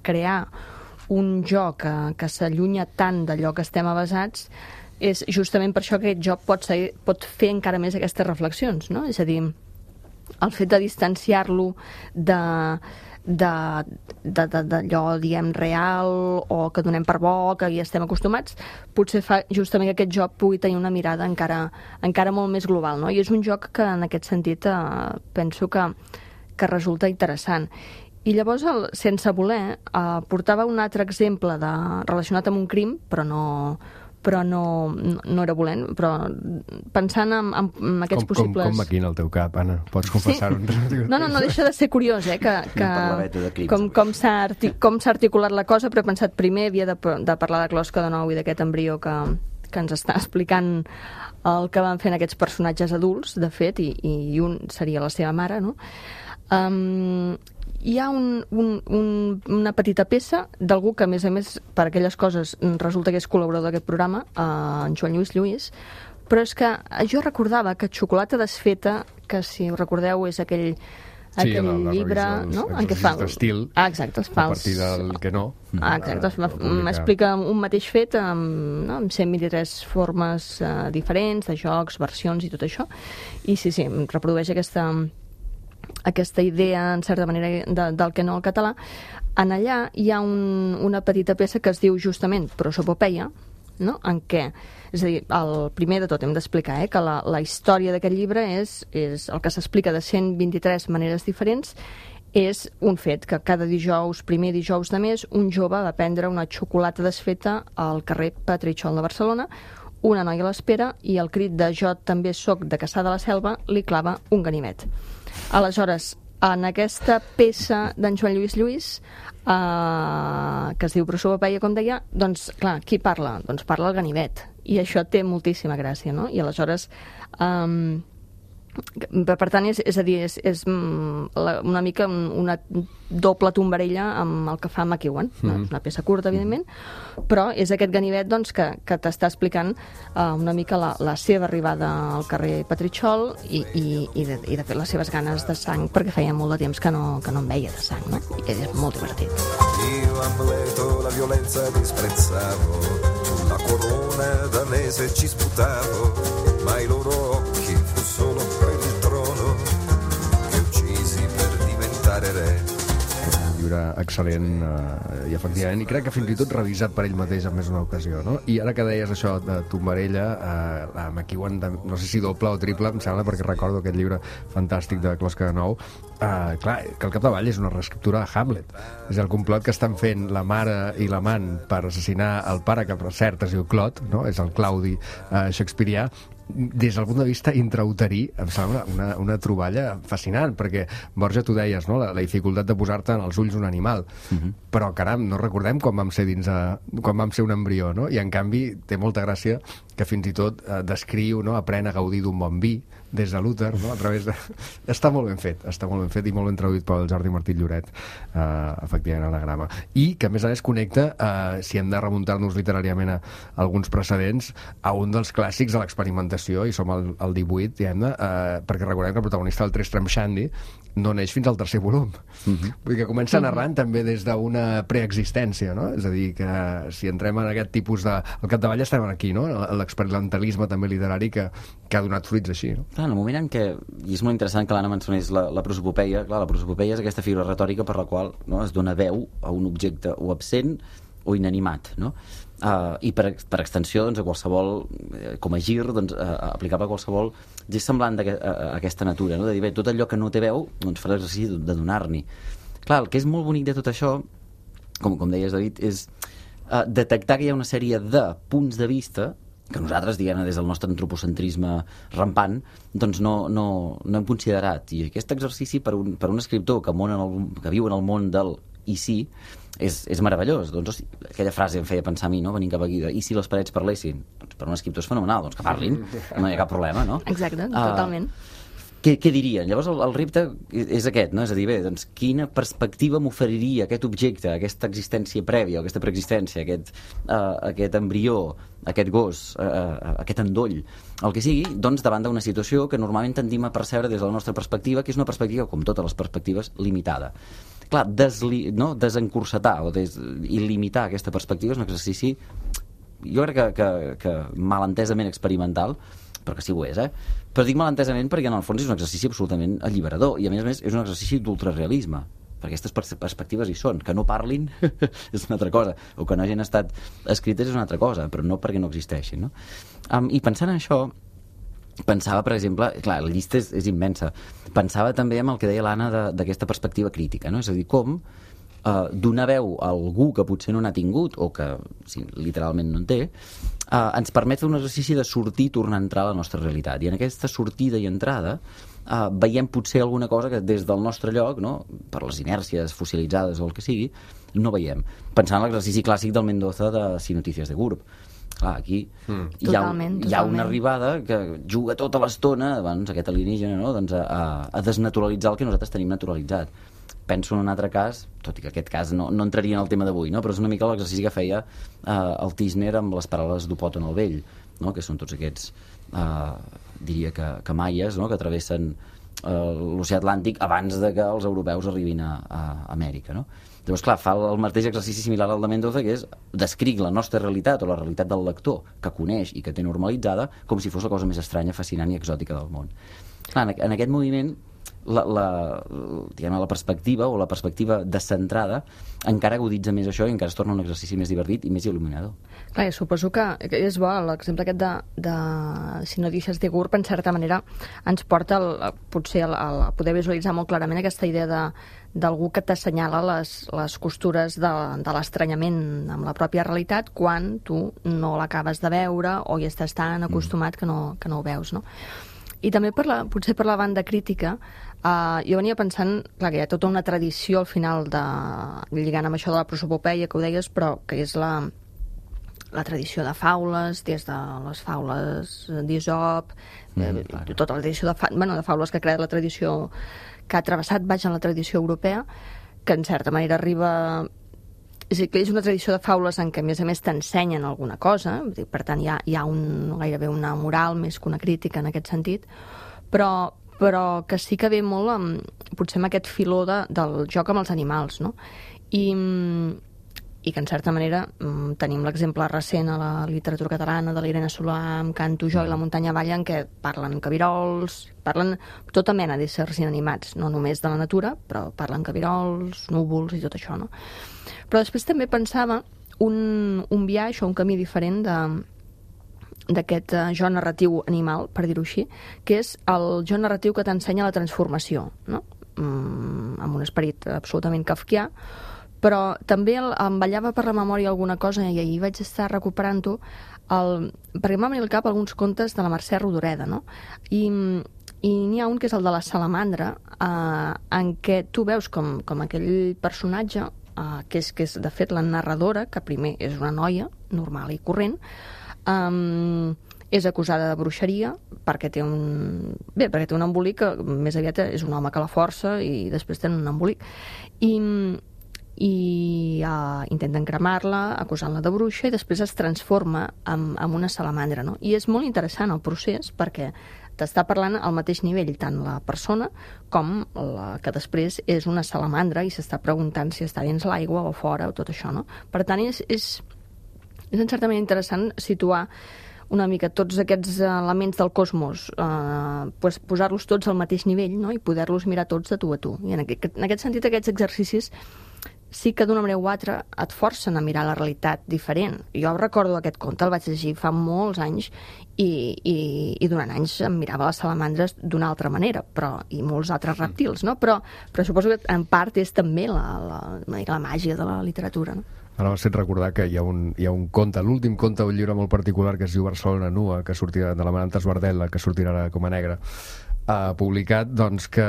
crear un jo que, que s'allunya tant d'allò que estem avasats, és justament per això que aquest jo pot, ser, pot fer encara més aquestes reflexions, no? És a dir, el fet de distanciar-lo de d'allò, diguem, real o que donem per bo, que hi estem acostumats, potser fa justament que aquest joc pugui tenir una mirada encara, encara molt més global, no? I és un joc que en aquest sentit eh, penso que, que resulta interessant. I llavors, el, sense voler, eh, portava un altre exemple de, relacionat amb un crim, però no, però no, no era volent, però pensant en, en, en aquests com, possibles... Com, com maquina el teu cap, Anna? Pots confessar-ho? Sí. No, no, no deixa de ser curiós, eh, que, que com, com s'ha artic, com s'ha articulat la cosa, però he pensat primer havia de, de parlar de Closca de nou i d'aquest embrió que, que ens està explicant el que van fent aquests personatges adults, de fet, i, i un seria la seva mare, no? Um, hi ha un, un, un, una petita peça d'algú que, a més a més, per aquelles coses resulta que és col·laborador d'aquest programa, eh, en Joan Lluís Lluís, però és que jo recordava que Xocolata desfeta, que si ho recordeu és aquell, sí, aquell la, la llibre, no?, en què fa... d'estil, ah, exacte, es fa a partir del que no. Ah, exacte, m'explica un mateix fet amb, no, amb cent vint-i-tres formes eh, diferents, de jocs, versions i tot això, i sí, sí, reprodueix aquesta... aquesta idea, en certa manera, de, del que no al català. En allà hi ha un, una petita peça que es diu justament Prosopopeia, no?, en què, és a dir, el primer de tot hem d'explicar eh, que la, la història d'aquest llibre és, és el que s'explica de cent vint-i-tres maneres diferents, és un fet que cada dijous, primer dijous de mes, un jove va prendre una xocolata desfeta al carrer Petritxol de Barcelona, una noia l'espera i el crit de "jo també soc de Cassà de la Selva" li clava un ganivet. Aleshores, en aquesta peça d'en Joan Lluís Lluís, eh, que es diu Prosopopeia, com deia, doncs, clar, qui parla? Doncs parla el ganivet. I això té moltíssima gràcia, no? I aleshores... Eh, per tant, és, és a dir, és, és una mica una doble tombarella amb el que fa McEwan. Mm. Una peça curta, evidentment, però és aquest ganivet, doncs, que, que t'està explicant uh, una mica la, la seva arribada al carrer Petritxol i, i, i, de, i de fet les seves ganes de sang, perquè feia molt de temps que no, que no en veia de sang, no? I és molt divertit. Io Amleto la violenza disprezzavo, la corona danese ci sputavo, ma i loro occhi fu solo per il trono che uccisi per diventare re. Llibre excel·lent eh, i efectivament, i crec que fins i tot revisat per ell mateix en més d'una ocasió, no? I ara que deies això de Tombarella, eh, la McEwan, de, no sé si doble o triple, em sembla, perquè recordo aquest llibre fantàstic de Closca de nou, eh, clar, que al capdavall és una reescriptura de Hamlet. És el complot que estan fent la mare i l'amant per assassinar el pare, que per cert es diu Clot, no? És el Claudi eh, shakespearià, des del punt de vista intrauterí, em sembla una, una troballa fascinant, perquè, Borja, tu deies, no?, la, la dificultat de posar-te en els ulls un animal, uh-huh. però, caram, no recordem quan vam ser dins a, quan vam ser un embrió, no? I, en canvi, té molta gràcia que fins i tot eh, descriu, no?, aprèn a gaudir d'un bon vi, des de l'úter, no?, a través de... Està molt ben fet, està molt ben fet i molt ben traduït pel Jordi Martí Lloret, eh, efectivament, anagrama. I que, a més a més, connecta, eh, si hem de remuntar-nos literàriament a alguns precedents, a un dels clàssics de l'experimentació, i som al, al divuit, diguem-ne, eh, perquè recordem que el protagonista del Tristram Shandy no neix fins al tercer volum. Uh-huh. Vull dir que comença narrant uh-huh. també des d'una preexistència, no? És a dir, que si entrem en aquest tipus de... Al capdavall estem aquí, no? L'experimentalisme també literari que, que ha donat fruits així, no? Clar, en el moment en què, i és molt interessant que l'Anna mencionés la, la prosopopeia, clar, la prosopopeia és aquesta figura retòrica per la qual, no, es dona veu a un objecte o absent o inanimat, no? Uh, i per, per extensió, doncs, a qualsevol, eh, com a gir, doncs, uh, aplicable a qualsevol gest semblant a, a, a aquesta natura, no? De dir, bé, tot allò que no té veu, doncs fa l'exercici de donar-n'hi. Clar, el que és molt bonic de tot això, com, com deies, David, és uh, detectar que hi ha una sèrie de punts de vista que nosaltres, diguem, des del nostre antropocentrisme rampant, doncs no, no, no hem considerat. I aquest exercici per un, per un escriptor que, món en el, que viu en el món del i sí, és, és meravellós. Doncs, hosti, aquella frase em feia pensar a mi, no?, venint cap aquí, de, i si les parets parlessin? Doncs per un escriptor és fenomenal, doncs que parlin, no hi ha cap problema, no? Exacte, totalment. Uh, què, què dirien? Llavors el, el repte és aquest, no? És a dir, bé, doncs quina perspectiva m'oferiria aquest objecte, aquesta existència prèvia, aquesta preexistència, aquest, uh, aquest embrió, aquest gos, uh, aquest endoll, el que sigui, doncs davant d'una situació que normalment tendim a percebre des de la nostra perspectiva, que és una perspectiva, com totes les perspectives, limitada. Clar, desli, no? desencursetar o des, i limitar aquesta perspectiva és un exercici, jo crec que, que, que malentesament experimental, però que sí ho és, eh? Però dic malentesament perquè en el fons és un exercici absolutament alliberador i a més a més és un exercici d'ultrarealisme, perquè aquestes pers perspectives hi són. Que no parlin és una altra cosa, o que no hagin estat escrites és una altra cosa, però no perquè no existeixin, no? Um, I pensant en això, pensava, per exemple, clar, la llista és, és immensa, pensava també en el que deia l'Anna d'aquesta perspectiva crítica, no? És a dir, com uh, donar veu a algú que potser no n'ha tingut o que sí, literalment no en té, uh, ens permet fer un exercici de sortir i tornar a entrar a la nostra realitat. I en aquesta sortida i entrada uh, veiem potser alguna cosa que des del nostre lloc, no, per les inèrcies fossilitzades o el que sigui, no veiem. Pensant en l'exercici clàssic del Mendoza de Si Notícies de Gurb. Clar, aquí mm. hi, ha, totalment, hi ha una arribada que juga tota l'estona, doncs, aquest alienígena, no? doncs a, a desnaturalitzar el que nosaltres tenim naturalitzat. Penso en un altre cas, tot i que aquest cas no, no entraria en el tema d'avui, no? Però és una mica l'exercici que feia eh, el Tisner amb les paraules d'Opòton el Vell, no? Que són tots aquests, eh, diria que, que maies, no? Que travessen eh, l'oceà Atlàntic abans de que els europeus arribin a, a Amèrica, no? Llavors, clar, fa el mateix exercici similar al de Mendoza, que és descric la nostra realitat o la realitat del lector que coneix i que té normalitzada com si fos la cosa més estranya, fascinant i exòtica del món. Clar, en aquest moviment la, la, diguem, la perspectiva o la perspectiva descentrada encara aguditza més això i encara es torna un exercici més divertit i més il·luminador. Clar, suposo que és bo, l'exemple aquest de, de Si no deixes de Gurb, en certa manera ens porta el, potser a, a poder visualitzar molt clarament aquesta idea de d'algú que t'assenyala les, les costures de, de l'estranyament amb la pròpia realitat quan tu no l'acabes de veure o hi estàs tan acostumat que no, que no ho veus, no? I també per la, potser per la banda crítica, eh, jo venia pensant, clar, que hi ha tota una tradició al final de, lligant amb això de la prosopopeia que ho deies, però que és la, la tradició de faules, des de les faules d'Isop, mm, eh, tota la tradició de, fa, bueno, de faules que ha creat la tradició, que ha travessat baix en la tradició europea, que en certa manera arriba... És a dir, que és una tradició de faules en què, a més a més, t'ensenyen alguna cosa, per tant, hi ha, hi ha un, gairebé una moral més que una crítica en aquest sentit, però, però que sí que ve molt amb, potser amb aquest filó de, del joc amb els animals, no? I, i que, en certa manera, tenim l'exemple recent a la literatura catalana de l'Irene Solà amb Canto jo i la muntanya avall, en què parlen cabirols, parlen tota mena d'éssers inanimats, no només de la natura, però parlen cabirols, núvols i tot això, no? Però després també pensava un, un viatge o un camí diferent de d'aquest uh, jo narratiu animal, per dir-ho així, que és el jo narratiu que t'ensenya la transformació, no? Mm, amb un esperit absolutament kafkià, però també el, em ballava per la memòria alguna cosa i ahir vaig estar recuperant-ho, el, perquè m'ha venit al cap alguns contes de la Mercè Rodoreda, no? I, i n'hi ha un que és el de la salamandra, eh, en què tu veus com, com aquell personatge, eh, que, és, que és de fet la narradora, que primer és una noia normal i corrent, eh, és acusada de bruixeria perquè té un... Bé, perquè té un embolic que més aviat és un home que la força i després té un embolic. I, i uh, intenten cremar-la, acusant-la de bruixa, i després es transforma en, en una salamandra, no? I és molt interessant el procés perquè t'està parlant al mateix nivell tant la persona com la que després és una salamandra i s'està preguntant si està dins l'aigua o fora o tot això, no? Per tant, és, és, és en certa manera interessant situar una mica tots aquests elements del cosmos, eh, pues, posar-los tots al mateix nivell, no? I poder-los mirar tots de tu a tu. I en aquest, en aquest sentit, aquests exercicis sí que d'una manera o altra et forcen a mirar la realitat diferent. Jo recordo aquest conte, el vaig llegir fa molts anys i, i, i durant anys em mirava les salamandres d'una altra manera, però, i molts altres reptils, no? Però, però suposo que en part és també la, la, la màgia de la literatura, no? Ara m'has fet recordar que hi ha un, hi ha un conte, l'últim conte d'un llibre molt particular que es diu Barcelona Nua, que sortirà de la Maranta Esbardella, que sortirà ara com a negre, uh, publicat, doncs, que,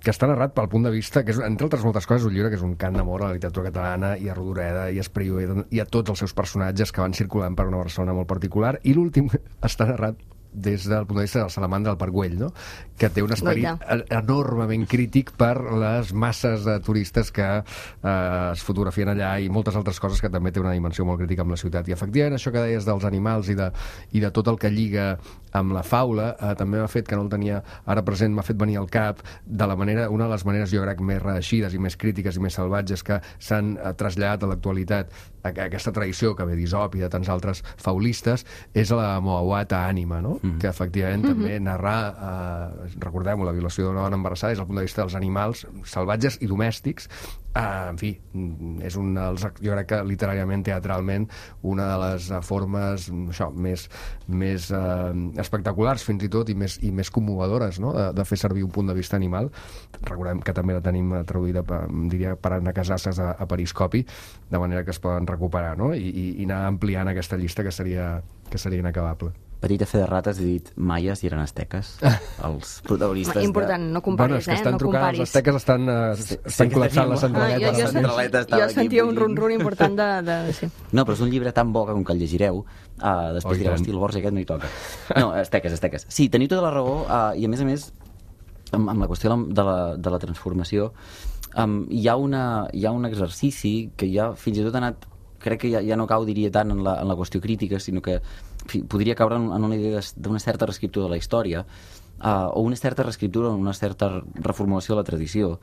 que està narrat pel punt de vista, que és, entre altres moltes coses, un llibre que és un cant d'amor a la literatura catalana, i a Rodoreda, i a Espriu, i a tots els seus personatges que van circulant per una Barcelona molt particular, i l'últim està narrat des del punt de vista de la salamandra del Parc Güell, no? Que té un esperit enormement crític per les masses de turistes que eh, es fotografien allà i moltes altres coses que també té una dimensió molt crítica amb la ciutat. I efectivament això que deies dels animals i de, i de tot el que lliga amb la faula eh, també m'ha fet, que no el tenia ara present, m'ha fet venir al cap de la manera, una de les maneres jo crec més reeixides i més crítiques i més salvatges que s'han eh, traslladat a l'actualitat a, a aquesta tradició que ve d'Isop i de tants altres faulistes, és la Moawata ànima, no? Mm. Que efectivament mm-hmm. també narrar, eh, recordem-ho, la violació d'una dona embarassada des del punt de vista dels animals salvatges i domèstics. Uh, en fi, és un dels, jo crec que literàriament, teatralment, una de les uh, formes això, més, més uh, espectaculars fins i tot i més, i més commovedores, no? de, de fer servir un punt de vista animal. Recordem que també la tenim traduïda, diria, per Anna Casasses a, a Periscopi, de manera que es poden recuperar, no? I, i, i anar ampliant aquesta llista que seria, que seria inacabable. Petita fe de rates, he dit maies i eren asteques, els protagonistes. Important, no comparis, bueno, és que estan eh? No trucant, comparis. els asteques estan, uh, estan col·lapsant la centraleta. Ah, jo, jo, sent, jo sentia un run-run important de... de sí. No, però és un llibre tan bo que com que el llegireu, uh, després oh, direu, hosti, el Borja aquest no hi toca. No, asteques, asteques. Sí, teniu tota la raó, uh, i a més a més, amb, amb la qüestió de la, de la transformació, um, hi, ha una, hi ha un exercici que ja fins i tot ha anat, crec que ja, ja no cau, diria, tant en la, en la qüestió crítica, sinó que fi, podria caure en, en una idea d'una certa reescriptura de la història, uh, o una certa reescriptura o una certa reformulació de la tradició,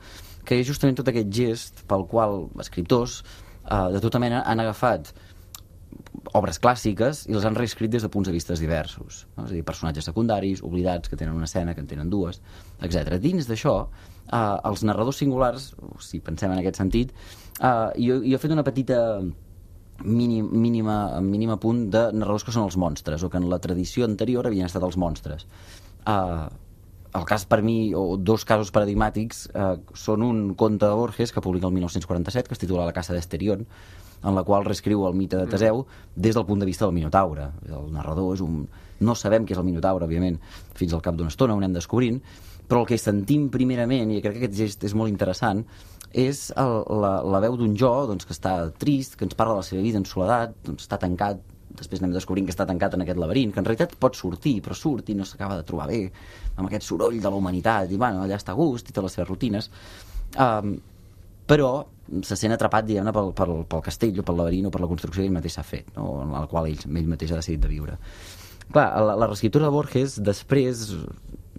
que és justament tot aquest gest pel qual escriptors uh, de tota mena han agafat obres clàssiques i les han reescrit des de punts de vista diversos, no? És a dir, personatges secundaris, oblidats, que tenen una escena, que en tenen dues, etcètera. Dins d'això, uh, els narradors singulars, si pensem en aquest sentit, uh, jo, jo he fet una petita mínim, mínima, mínima punt de narradors que són els monstres, o que en la tradició anterior havien estat els monstres. Uh, el cas per mi, o dos casos paradigmàtics, uh, són un conte de Borges que publica el mil nou-cents quaranta-set, que es titula La caça d'Esterion, en la qual reescriu el mite de Teseu des del punt de vista del Minotaure. El narrador és un... No sabem què és el Minotaure, òbviament, fins al cap d'una estona ho anem descobrint, però el que sentim primerament, i crec que aquest gest és molt interessant, és el, la, la veu d'un jo, doncs, que està trist, que ens parla de la seva vida en soledat, doncs, està tancat, després anem descobrint que està tancat en aquest laberint, que en realitat pot sortir, però surt i no s'acaba de trobar bé, amb aquest soroll de la humanitat, i bueno, allà està a gust i té les seves rutines. Um, però se sent atrapat, diguem-ne, pel, pel, pel castell o pel laberint o per la construcció que ell mateix s'ha fet, no? En la qual ell, ell mateix ha decidit de viure. Clar, la, la reescriptura de Borges, després,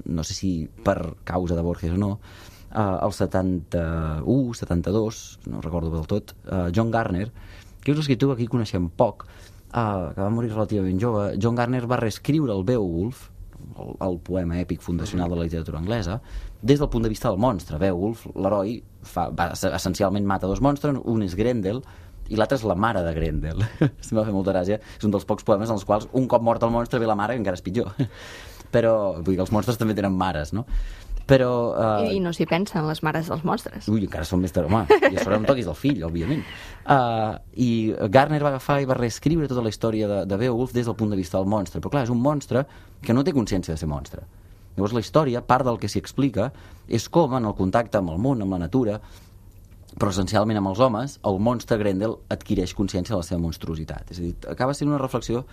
no sé si per causa de Borges o no, uh, el setanta-u, setanta-dos, no recordo del tot, uh, John Garner, que és un escriptor que aquí coneixem poc, uh, que va morir relativament jove. John Garner va reescriure el Beowulf, el, el poema èpic fundacional de la literatura anglesa, des del punt de vista del monstre. Beowulf, l'heroi, fa, va, essencialment mata dos monstres, un és Grendel, i l'altre és la mare de Grendel. Em va fer molta gràcia. És un dels pocs poemes en els quals un cop mort el monstre ve la mare, que encara és pitjor. Però vull dir que els monstres també tenen mares, no? Però... Uh... I, I no s'hi pensen les mares dels monstres. Ui, encara són més... Home, i a sobre em toquis el fill, òbviament. Uh, I Gardner va agafar i va reescriure tota la història de, de Beowulf des del punt de vista del monstre. Però clar, és un monstre que no té consciència de ser monstre. Llavors la història, part del que s'hi explica, és com en el contacte amb el món, amb la natura, però essencialment amb els homes, el monstre Grendel adquireix consciència de la seva monstruositat. És a dir, acaba sent una reflexió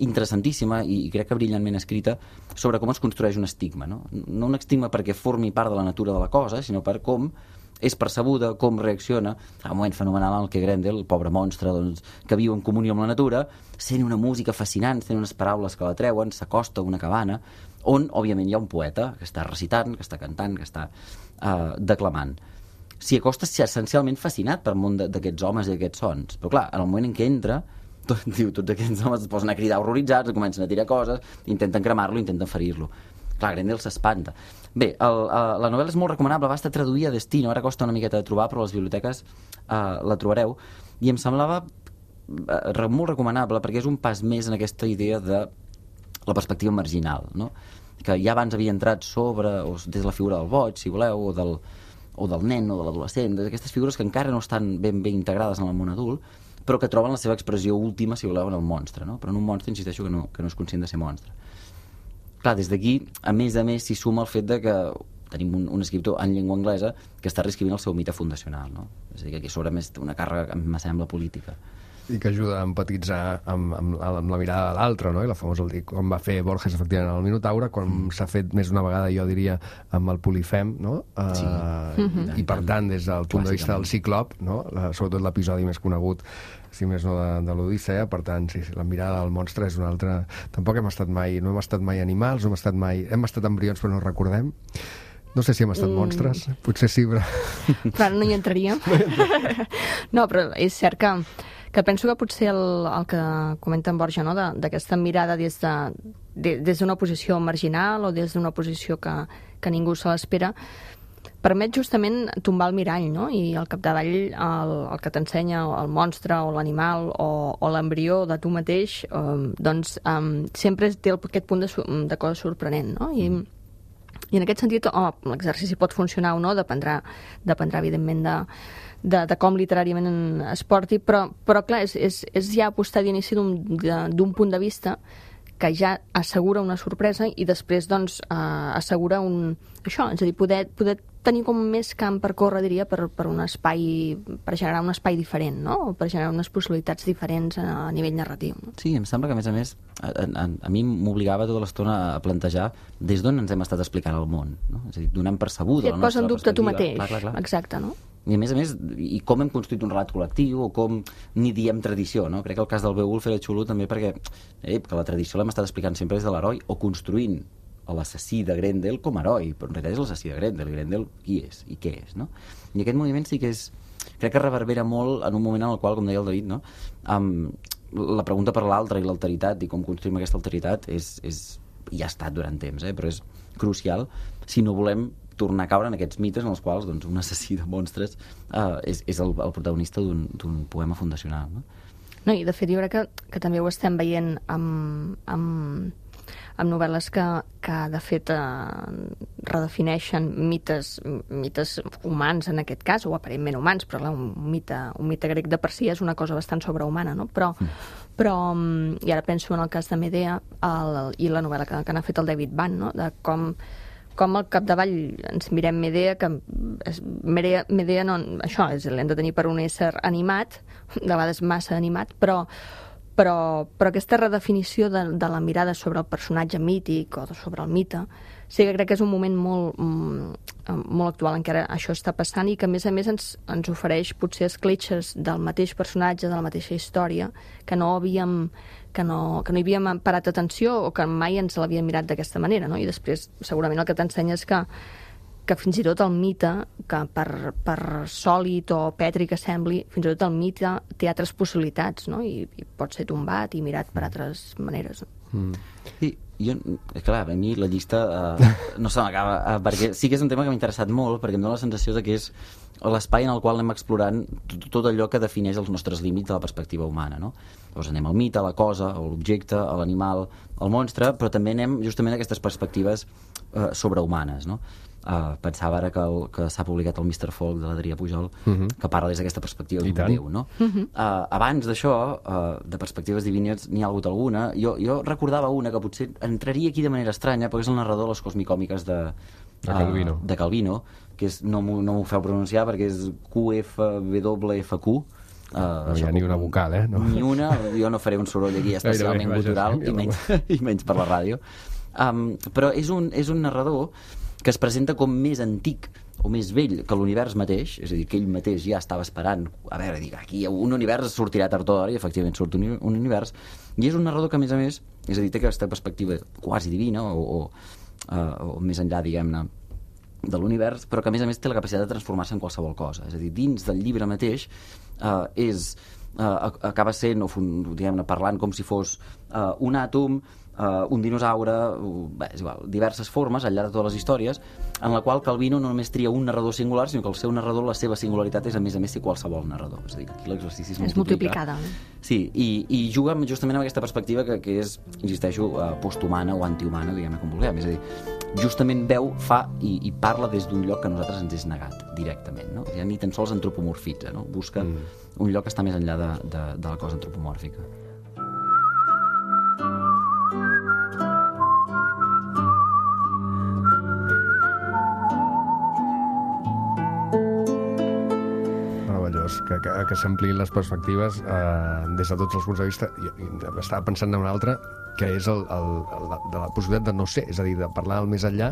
interessantíssima i, i crec que brillantment escrita sobre com es construeix un estigma, no? No un estigma perquè formi part de la natura de la cosa, sinó per com és percebuda, com reacciona. A un moment fenomenal en el que Grendel, el pobre monstre doncs, que viu en comunió amb la natura, sent una música fascinant, sent unes paraules que la treuen, s'acosta a una cabana, on, òbviament, hi ha un poeta que està recitant, que està cantant, que està uh, declamant. S'hi acosta essencialment fascinat pel món d'aquests homes i d'aquests sons. Però clar, en el moment en què entra, tot, diu, tots aquests homes es posen a cridar horroritzats, comencen a tirar coses, intenten cremar-lo, intenten ferir-lo. Clar, Grendel s'espanta. Bé, el, uh, la novel·la és molt recomanable, va estar traduïda a Destino, ara costa una miqueta de trobar, però a les biblioteques uh, la trobareu, i em semblava uh, molt recomanable perquè és un pas més en aquesta idea de la perspectiva marginal, no? Que ja abans havia entrat sobre, o des de la figura del boig, si voleu, o del, o del nen o de l'adolescent, d'aquestes figures que encara no estan ben bé integrades en el món adult, però que troben la seva expressió última, si voleu, en el monstre, no? Però en un monstre, insisteixo, que no, que no és conscient de ser monstre. Clar, des d'aquí, a més a més, s'hi suma el fet de que tenim un, un escriptor en llengua anglesa que està reescrivint el seu mite fundacional, no? És a dir, que aquí sobre més una càrrega, em sembla, política. I que ajuda a empatitzar amb, amb, amb la mirada de l'altre, no? I la famosa, com va fer Borges, efectivament, en el Minotaure, com mm. s'ha fet més una vegada, jo diria, amb el Polifem, no? Sí. Uh, mm-hmm. I, per tant, des del punt de vista del Ciclop, no? La, sobretot l'episodi més conegut, si més no, de, de l'Odissea, per tant, sí, sí, la mirada del monstre és una altra... Tampoc hem estat mai, no hem estat mai animals, no hem estat mai... Hem estat embrions, però no recordem. No sé si hem estat mm. monstres, potser sí, però... Però no hi entraríem. No, però és cert que, que penso que potser el, el que comenta en Borja, no? D'aquesta mirada des de, de, des d'una posició marginal o des d'una posició que, que ningú se l'espera, permet justament tombar el mirall, no? I al capdavall el, el que t'ensenya el monstre o l'animal o, o l'embrió de tu mateix, um, doncs um, sempre té el, aquest punt de, de cosa sorprenent, no? I, mm. I en aquest sentit, oh, l'exercici pot funcionar o no, dependrà, dependrà evidentment de, de, de com literàriament es porti, però, però clar, és, és, és ja apostar d'inici d'un punt de vista que ja assegura una sorpresa i després doncs, eh, assegura un... això, és a dir, poder, poder tenir com més camp per córrer, diria, per, per un espai, per generar un espai diferent, no? O per generar unes possibilitats diferents a, a nivell narratiu. No? Sí, em sembla que, a més a més, a, a, a mi m'obligava tota l'estona a plantejar des d'on ens hem estat explicant el món, no? És a dir, donant percebuda sí, la nostra perspectiva. Et posa en dubte tu mateix, clar, clar, clar. Exacte, no? I a més a més, i com hem construït un relat col·lectiu o com ni diem tradició, no? Crec que el cas del Beowulf era xulo també perquè eh, que la tradició l'hem estat explicant sempre des de l'heroi o construint l'assassí de Grendel com a heroi, però en realitat és l'assassí de Grendel. Grendel qui és i què és, no? I aquest moviment sí que és... Crec que reverbera molt en un moment en el qual, com deia el David, no? Um, la pregunta per l'altre i l'alteritat i com construïm aquesta alteritat és, és, i ha estat durant temps, eh? Però és crucial si no volem tornar a caure en aquests mites en els quals doncs, un assassí de monstres uh, és, és el, el protagonista d'un poema fundacional, no? No, i de fet jo crec que, que també ho estem veient amb, amb, amb novel·les que, que de fet eh, redefineixen mites, mites humans en aquest cas, o aparentment humans, però clar, un mite, un mite grec de per si és una cosa bastant sobrehumana, no? Però, mm. però i ara penso en el cas de Medea el, i la novel·la que, que n'ha fet el David Vann, no? De com com al capdavall ens mirem Medea, que és, Medea, Medea no, això és, l'hem de tenir per un ésser animat, de vegades massa animat, però, però, però aquesta redefinició de, de la mirada sobre el personatge mític o sobre el mite, sí que crec que és un moment molt, molt actual en què ara això està passant i que a més a més ens, ens ofereix potser escletxes del mateix personatge, de la mateixa història, que no havíem que no, que no hi havíem parat atenció o que mai ens l'havíem mirat d'aquesta manera, no? I després segurament el que t'ensenya és que, que fins i tot el mite, que per, per sòlid o petri que sembli, fins i tot el mite té altres possibilitats, no? I, i pot ser tombat i mirat per altres maneres. Mm. Sí, jo, clar, a mi la llista uh, no se m'acaba, uh, perquè sí que és un tema que m'ha interessat molt, perquè em dóna la sensació de que és l'espai en el qual anem explorant tot, tot allò que defineix els nostres límits de la perspectiva humana, no? Llavors anem al mite, a la cosa, a l'objecte, a l'animal, al monstre, però també anem justament a aquestes perspectives eh, sobrehumanes, no? Uh, pensava ara que, el, que s'ha publicat el mister Folk de l'Adrià Pujol, uh-huh. que parla des d'aquesta perspectiva d'un déu, no? Uh-huh. Uh, abans d'això, uh, de perspectives divines, n'hi ha hagut alguna. Jo, jo recordava una que potser entraria aquí de manera estranya, perquè és el narrador de les cosmicòmiques de, de Calvino, uh, de Calvino que és, no m'ho no feu pronunciar perquè és Q F W F Q. Uh, no hi ha ni una vocal, eh? No. Ni una, jo no faré un soroll aquí especialment gutural, i menys, i menys per la ràdio. Um, però és un, és un narrador que es presenta com més antic o més vell que l'univers mateix, és a dir, que ell mateix ja estava esperant, a veure, dic, aquí un univers sortirà tard o d'hora, i efectivament surt un, un univers, i és un narrador que, a més a més, és a dir, té aquesta perspectiva quasi divina, o, o, uh, o més enllà, diguem-ne, de l'univers, però que, a més a més, té la capacitat de transformar-se en qualsevol cosa. És a dir, dins del llibre mateix, uh, és, uh, acaba sent, o diguem-ne, parlant com si fos uh, un àtom, Uh, un dinosaure, uh, bé, és igual, diverses formes al llarg de totes les històries, en la qual Calvino no només tria un narrador singular, sinó que el seu narrador, la seva singularitat és a més a més que qualsevol narrador. És a dir, aquí l'exercici es, és multiplicada. Sí, i, i juga justament amb aquesta perspectiva que, que és, insisteixo, uh, posthumana o antihumana, diguem-ne com vulguem. És a dir, justament veu, fa i, i parla des d'un lloc que a nosaltres ens és negat directament, no? Ja ni tan sols antropomorfitza, no? Busca mm. un lloc que està més enllà de, de, de la cosa antropomòrfica. Que, que, que s'ampliïn les perspectives eh, des de tots els punts de vista. Jo, jo estava pensant en una altra, que és el, el, el, de la possibilitat de no ser, és a dir, de parlar al més enllà,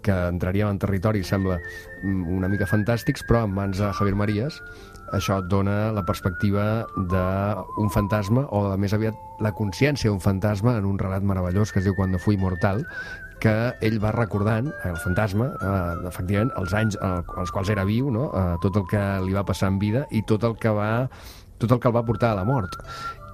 que entraríem en territori, sembla una mica fantàstics, però en mans de Javier Marías això et dona la perspectiva d'un fantasma, o més aviat la consciència d'un fantasma en un relat meravellós que es diu Cuando fui mortal, que ell va recordant, el fantasma, eh, efectivament, els anys als quals era viu, no? eh, tot el que li va passar en vida i tot el que va, tot el que el va portar a la mort.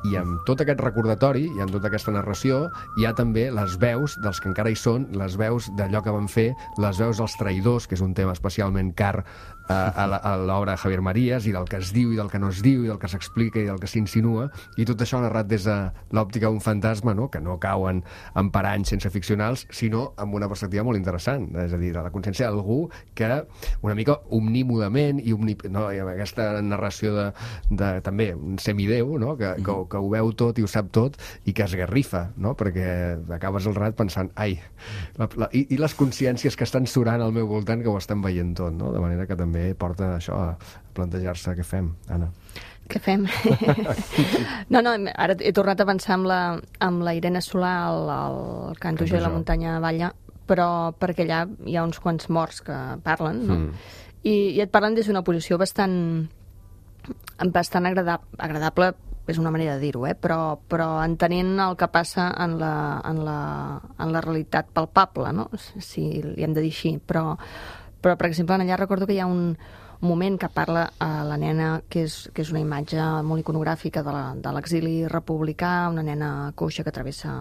I amb tot aquest recordatori i amb tota aquesta narració hi ha també les veus dels que encara hi són, les veus d'allò que van fer, les veus dels traïdors, que és un tema especialment car eh, a l'obra de Javier Marías, i del que es diu i del que no es diu i del que s'explica i del que s'insinua, i tot això narrat des de l'òptica d'un fantasma, no? Que no cau en, en paranys sense ficcionals, sinó amb una perspectiva molt interessant, és a dir, de la consciència d'algú que una mica omnímudament i, omni, no? I amb aquesta narració de, de també un semideu, no? que, que, que ho veu tot i ho sap tot i que es garrifa, no? Perquè acabes el rato pensant, ai, la, la, i, i les consciències que estan surant al meu voltant que ho estan veient tot, no? De manera que també porta això a plantejar-se què fem, Anna. Què fem? no, no, ara he tornat a pensar amb la, amb la Irene Solà al, al Canto Jo i la muntanya Valla, però perquè allà hi ha uns quants morts que parlen, no? Mm. I, i et parlen des d'una posició bastant bastant agradable, agradable és una manera de dir-ho, eh? però, però entenent el que passa en la, en la, en la realitat palpable, no? Si li hem de dir així, però, però per exemple, allà recordo que hi ha un, un moment que parla a la nena, que és, que és una imatge molt iconogràfica de l'exili republicà, una nena coixa que travessa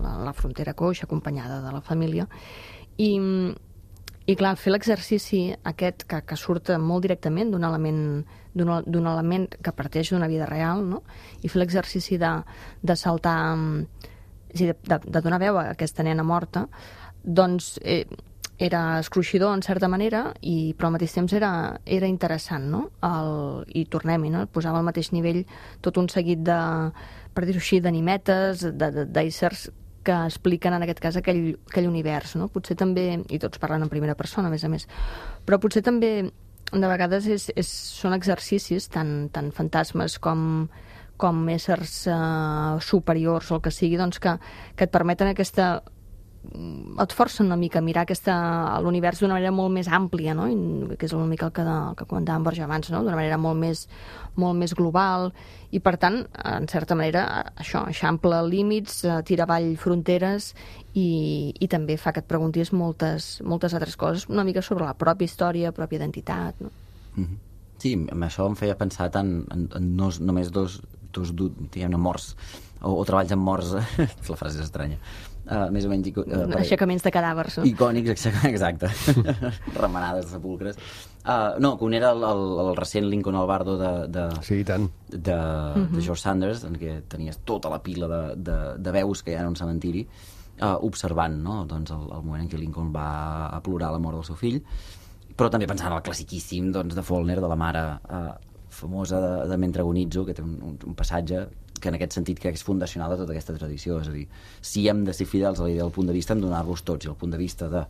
la, la frontera coixa, acompanyada de la família, i, i clar, fer l'exercici aquest que, que surt molt directament d'un element d'un element que parteix d'una vida real, no? I fer l'exercici de, de saltar, és a dir, de, de donar veu a aquesta nena morta, doncs eh, era escruixidor en certa manera, i, però al mateix temps era, era interessant, no? El, i tornem-hi, no? Posava al mateix nivell tot un seguit de, per dir-ho així, d'animetes, d'éssers que expliquen en aquest cas aquell, aquell univers, no? Potser també, i tots parlen en primera persona, a més a més, però potser també de vegades és, és, són exercicis tant, tant fantasmes com, com éssers uh, superiors o el que sigui, doncs que, que et permeten aquesta et forcen una mica a mirar aquesta, l'univers d'una manera molt més àmplia, no? I, que és una mica el que, el que comentàvem Borja abans, no? D'una manera molt més, molt més global, i per tant, en certa manera, això, eixampla límits, tira avall fronteres, i, i també fa que et preguntis moltes, moltes altres coses, una mica sobre la pròpia història, pròpia identitat, no? Mm-hmm. Sí, amb això em feia pensar tant en, en no, només dos, dos diguem-ne, morts o, o treballs amb morts, la frase és estranya, uh, més o menys ico, uh, aixecaments de cadàvers, no? Icònics, exacte. Remenades de sepulcres. Uh, no, que un era el, el, el recent Lincoln Albardo de, de, sí, tant. de, de uh-huh. George Sanders, en què tenies tota la pila de, de, de veus que hi ha en un cementiri, uh, observant, no? Doncs el, el moment en què Lincoln va a plorar la mort del seu fill, però també pensant en el classiquíssim, doncs, de Faulkner, de la mare uh, famosa de, de Mentre agonitzo, que té un, un, un passatge que en aquest sentit crec que és fundacional de tota aquesta tradició. És a dir, si hem de ser fidels a la idea del punt de vista, hem de donar-los tots, i el punt de vista de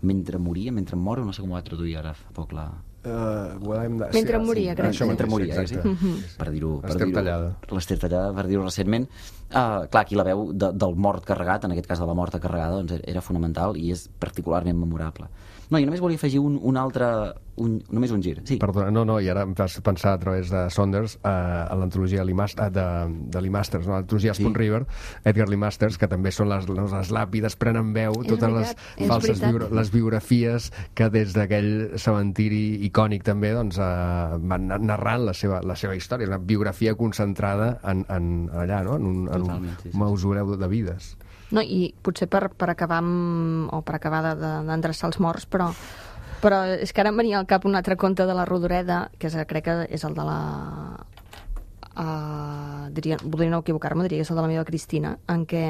mentre moria, mentre moro, no sé com ho va traduir ara fa poc la... Uh, well, de... Mentre sí, moria, sí, crec. això Mentre mateix, moria, exacte. sí? Mm-hmm. Per dir-ho... L'Ester Tallada. L'Ester Tallada, per dir-ho recentment. Uh, clar, aquí la veu de, del mort carregat, en aquest cas de la morta carregada, doncs era fonamental i és particularment memorable. No, i només volia afegir un, un altre... Un, només un gir, sí. Perdona, no, no, i ara em fas pensar a través de Saunders eh, a l'antologia Lee Mas- de, de Lee Masters, no? L'antologia Spoon Sí. River, Edgar Lee Masters, que també són les, les, les làpides, prenen veu, És totes veritat, les és falses veritat. biura, les biografies que des d'aquell cementiri icònic també doncs, eh, van narrant la seva, la seva història. És una biografia concentrada en, en, allà, no? En un, en un Totalment, sí, sí. mausoleu de vides. No, i potser per, per acabar amb, o per acabar de- de- d'endreçar els morts, però, però és que ara em venia al cap un altre conte de la Rodoreda, que és, crec que és el de la... Uh, diria, voldria no equivocar-me, diria que és el de la meva Cristina, en què,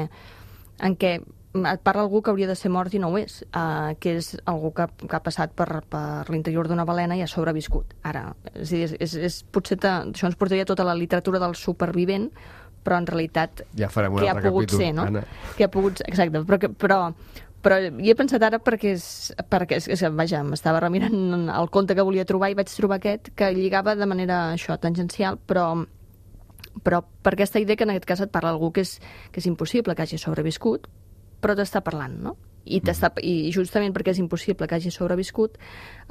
en què et parla algú que hauria de ser mort i no ho és, uh, que és algú que, que ha passat per, per l'interior d'una balena i ha sobreviscut. Ara, és, a dir, és, és, és, potser te, això ens portaria tota la literatura del supervivent, però en realitat Ja farem un què ha altre pogut capítol, ser, no? Anna. Que ha pogut ser, exacte, però, que, però, però hi he pensat ara perquè, és, perquè és, és, vaja, m'estava remirant el conte que volia trobar i vaig trobar aquest que lligava de manera això, tangencial, però, però per aquesta idea que en aquest cas et parla algú que és, que és impossible que hagi sobreviscut, però t'està parlant, no? I, t'està, I justament perquè és impossible que hagi sobreviscut,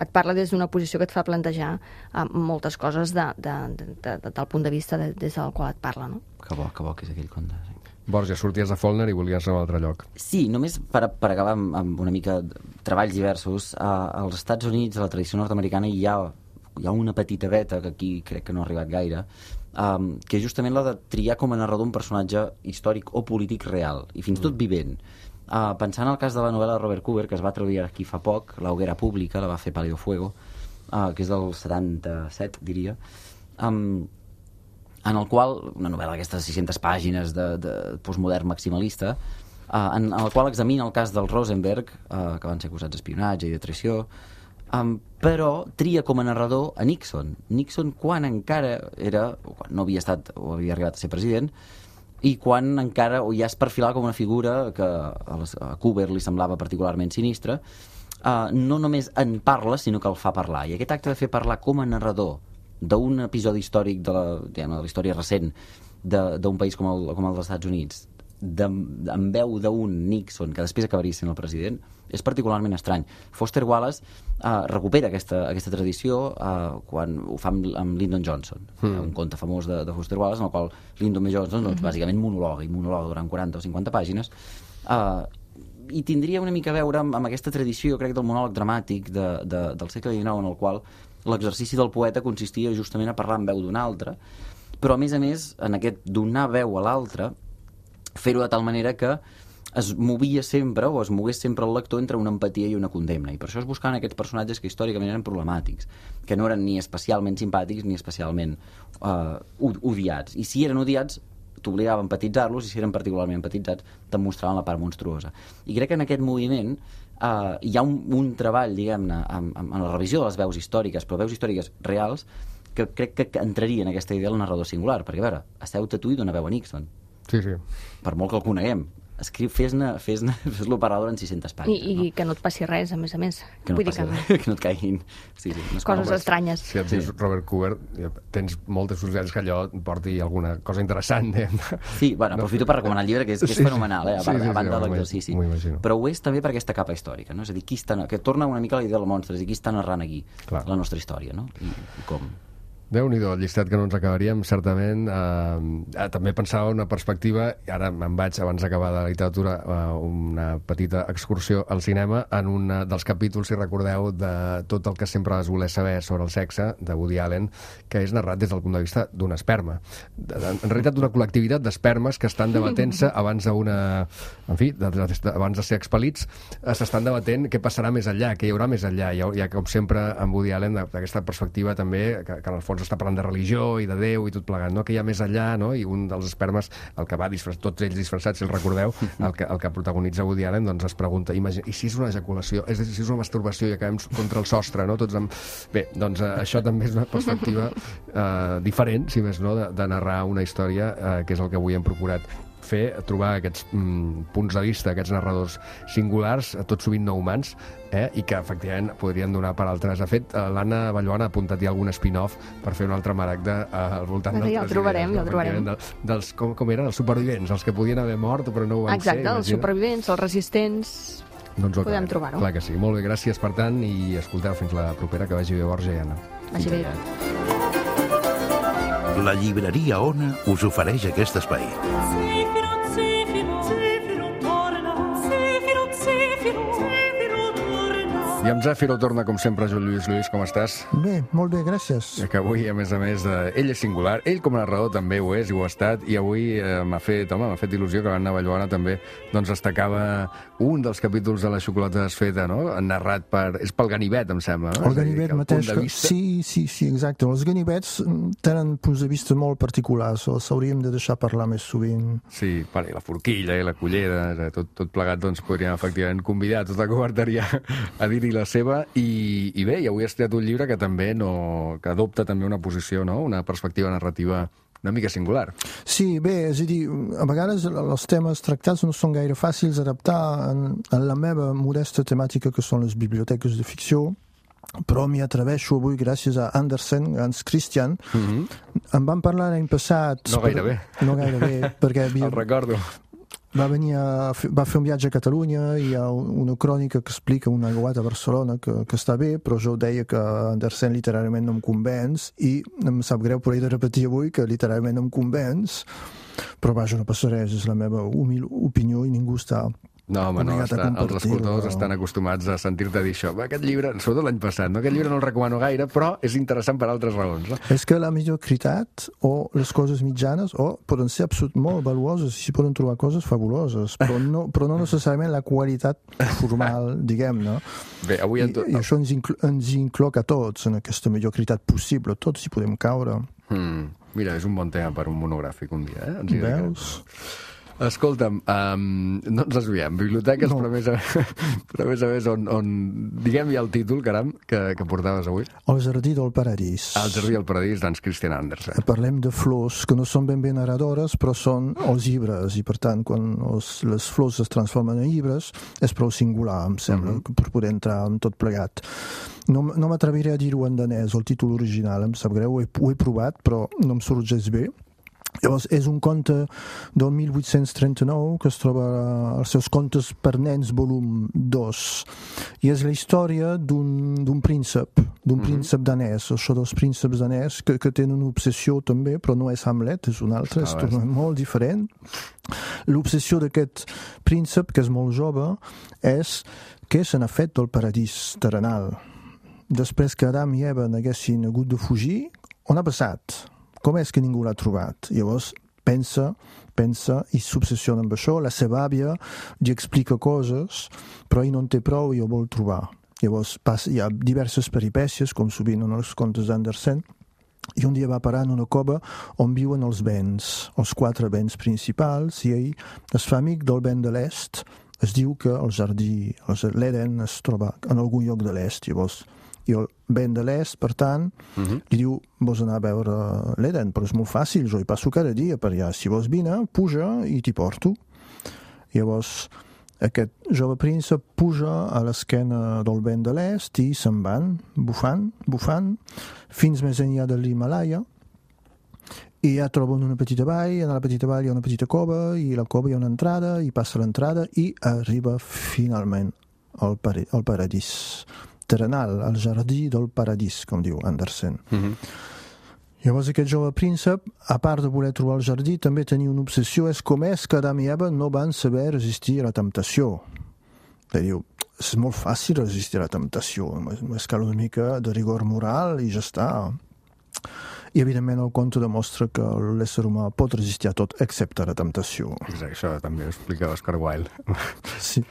et parla des d'una posició que et fa plantejar uh, moltes coses de, de, de, de, de, del punt de vista de, des del qual et parla, no? Que bo, que bo que és aquell conte. Sí. Borja, sorties de Faulkner i volies anar a un altre lloc. Sí, només per, per acabar amb, amb una mica de treballs diversos, uh, als Estats Units, a la tradició nord-americana, hi ha, hi ha una petita veta, que aquí crec que no ha arribat gaire, um, que és justament la de triar com a narrador un personatge històric o polític real, i fins i tot vivent. Uh, pensant en el cas de la novel·la de Robert Cooper, que es va traduir aquí fa poc, La hoguera pública, la va fer Pálido Fuego, uh, que és del setanta-set, diria, um, en el qual, una novel·la d'aquestes sis-centes pàgines de, de postmodern maximalista, uh, en, en el qual examina el cas del Rosenberg, uh, que van ser acusats d'espionatge i de traïció, um, però tria com a narrador a Nixon. Nixon quan encara era, o quan no havia estat o havia arribat a ser president, i quan encara o ja es perfilava com una figura que a, les, a Cooper li semblava particularment sinistra, uh, no només en parla, sinó que el fa parlar. I aquest acte de fer parlar com a narrador d'un episodi històric de la, diguem, de la història recent d'un país com el, com el dels Estats Units, de, en veu d'un Nixon que després acabaria sent el president, és particularment estrany. Foster Wallace uh, recupera aquesta, aquesta tradició uh, quan ho fa amb, amb Lyndon Johnson, mm. un conte famós de, de Foster Wallace en el qual Lyndon B. Johnson doncs, mm-hmm. bàsicament monologa i monologa durant quaranta o cinquanta pàgines, uh, i tindria una mica a veure amb, amb aquesta tradició, crec, del monòleg dramàtic de, de, del segle dinou, en el qual l'exercici del poeta consistia justament a parlar en veu d'un altre, però a més a més en aquest donar veu a l'altre, fer-ho de tal manera que es movia sempre o es mogués sempre el lector entre una empatia i una condemna, i per això es buscaven aquests personatges que històricament eren problemàtics, que no eren ni especialment simpàtics ni especialment uh, odiats, i si eren odiats t'obligava a empatitzar-los, i si eren particularment empatitzats te'n mostraven la part monstruosa. I crec que en aquest moviment uh, hi ha un, un treball, diguem-ne, en, en la revisió de les veus històriques, però veus històriques reals, que crec que entraria en aquesta idea del narrador singular, perquè a veure, asseu-te tu i dona veu a Nixon. Sí, sí. Per molt que el coneguem. Escriu, fes-ne, fes-ne, fes-lo parlar en sis-centes pàgines. I, i no? que no et passi res, a més a més. Que no, Vull dir passi, que... que no et caiguin sí, sí, unes Coses coses estranyes. Si et dius sí. Robert Cooper, tens moltes possibilitats que allò porti alguna cosa interessant. Eh? Sí, bueno, aprofito per recomanar el llibre, que és, que és sí, fenomenal, eh? a, sí, sí, a banda sí, de l'exercici. Però ho és també per aquesta capa històrica, no? És a dir, qui està, que torna una mica a la idea del monstre, és a dir, qui està narrant aquí Clar. la nostra història, no? I, i com. Déu-n'hi-do, el llistat que no ens acabaríem, certament. Eh, també pensava una perspectiva, i ara me'n vaig, abans d'acabar de la literatura, eh, una petita excursió al cinema, en un dels capítols, si recordeu, de tot el que sempre vas voler saber sobre el sexe, de Woody Allen, que és narrat des del punt de vista d'un esperma. De, de, en realitat, d'una col·lectivitat d'espermes que estan debatent-se abans d'una... En fi, de, de, de, abans de ser expel·lits, eh, s'estan debatent què passarà més enllà, què hi haurà més enllà. Hi ha, hi ha com sempre, en Woody Allen, d'aquesta perspectiva també, que, que en el fons està parlant de religió i de Déu i tot plegat, no? Que hi ha més enllà, no? I un dels espermes, el que va disfressat, tots ells disfressats, si el recordeu, el que, el que protagonitza Woody Allen, doncs es pregunta, imagina, i si és una ejaculació, és a dir, si és una masturbació i acabem contra el sostre, no? Tots amb... Bé, doncs eh, això també és una perspectiva eh, diferent, si més no, de, de narrar una història, eh, que és el que avui hem procurat fer, trobar aquests mm, punts de vista, aquests narradors singulars, tot sovint no humans, eh, i que efectivament podrien donar per altres. De fet, eh, l'Anna Balloana ha apuntat ja algun spin-off per fer un altre maragda eh, al voltant ja d'altres el trobarem, idees, ja el trobarem. De, dels, com, com eren? Els supervivents, els que podien haver mort però no ho van Exacte, ser. els supervivents, els resistents... Doncs podem trobar-ho. Clar que sí. Molt bé, gràcies per tant, i escolteu, fins la propera, que vagi bé Borja i Anna. Vagi bé. La llibreria Ona us ofereix aquest espai. I amb Zèfiro torna, com sempre, Joan Lluís. Lluís, com estàs? Bé, molt bé, gràcies. Que avui, a més a més, eh, ell és singular, ell com a narrador també ho és i ho ha estat, i avui eh, m'ha fet, home, m'ha fet il·lusió que l'Anna Balloana també doncs, destacava un dels capítols de La xocolata desfeta, no? Narrat per... És pel ganivet, em sembla, no? El ganivet mateix. Que... Vista... Sí, sí, sí, exacte. Els ganivets tenen punts de vista molt particulars, els hauríem de deixar parlar més sovint. Sí, i la forquilla i la cullera, tot, tot plegat, doncs podríem efectivament convidar tota la coberteria a dir-hi la seva, i, i bé, i avui has triat un llibre que també no, que adopta també una posició, no? Una perspectiva narrativa una mica singular. Sí, bé, és a dir, a vegades els temes tractats no són gaire fàcils d'adaptar en, en la meva modesta temàtica, que són les biblioteques de ficció, però m'hi atreveixo avui gràcies a Andersen, Hans Christian. Mm-hmm. Em van parlar l'any passat... No gairebé. Per, no gairebé, perquè havia... El recordo. Va, venir a, va fer un viatge a Catalunya, i hi ha una crònica que explica una aiguat a Barcelona que, que està bé, però jo deia que Andersen literàriament no em convenç, i em sap greu per he de repetir avui que literàriament no em convenç, però vaja, no passa res, és la meva humil opinió i ningú està... No, home, no, està, els escoltadors estan acostumats a sentir-te dir això. Aquest llibre, sobretot l'any passat, no? Aquest llibre no el recomano gaire, però és interessant per altres raons. No? És que la mediocritat o les coses mitjanes o poden ser absolut molt valuoses, i s'hi poden trobar coses fabuloses, però no, però no necessàriament la qualitat formal, diguem-ne. Bé, avui... I, i això ens, inclo ens incloc a tots en aquesta mediocritat possible. Tots hi podem caure. Hmm. Mira, és un bon tema per un monogràfic un dia, eh? Ens hi veus? Escolta'm, um, no ens desviem. Biblioteques, no. però, a més a, però a més a més, on, on diguem ja el títol, caram, que, que portaves avui. El jardí del paradís. El jardí del paradís d'Hans Christian Andersen. Parlem de flors que no són ben bé narradores, però són els llibres, i per tant, quan els, les flors es transformen en llibres, és prou singular, em sembla, mm-hmm. per poder entrar en tot plegat. No, no m'atreviré a dir-ho en danès, el títol original, em sap greu, ho he, ho he provat, però no em surt gens bé. Llavors, és un conte del mil vuit-cents trenta-nou que es troba als seus contes per nens volum dos, i és la història d'un príncep d'un mm-hmm. príncep danès, això dels prínceps danès que, que tenen una obsessió també, però no és Hamlet, és un altre, és ah, molt diferent. L'obsessió d'aquest príncep, que és molt jove, és què se n'ha fet del paradís terrenal. Després que Adam i Eva n'haguessin hagut de fugir, on ha passat? Com és que ningú l'ha trobat? Llavors pensa, pensa i s'obsessiona amb això. La seva àvia li explica coses, però ell no en té prou i ho vol trobar. Llavors passa, hi ha diverses peripècies, com sovint en els contes d'Andersen, i un dia va parar en una cova on viuen els vents, els quatre vents principals, i ell es fa amic del vent de l'est. Es diu que el jardí, l'Eden, es troba en algun lloc de l'est. Llavors i el vent de l'est, per tant, uh-huh. li diu, vols anar a veure l'Eden, però és molt fàcil, jo hi passo cada dia per allà, si vols vine, puja i t'hi porto. Llavors, aquest jove príncep puja a l'esquena del vent de l'est i se'n van, bufant, bufant, fins més enllà de l'Himalaya, i ja troben una petita vall, en la petita vall hi ha una petita cova, i a la cova hi ha una entrada, i passa l'entrada, i arriba finalment al, para al paradís terrenal, al jardí del paradís, com diu Andersen. Mm-hmm. Llavors aquest jove príncep, a part de voler trobar el jardí, també tenia una obsessió, és com és que Adam i Eva no van saber resistir a la temptació. I diu, és molt fàcil resistir a la temptació, només cal una mica de rigor moral i ja està. I evidentment el conte demostra que l'ésser humà pot resistir a tot excepte a la temptació. Exacte, això també ho explica Oscar Wilde. Sí.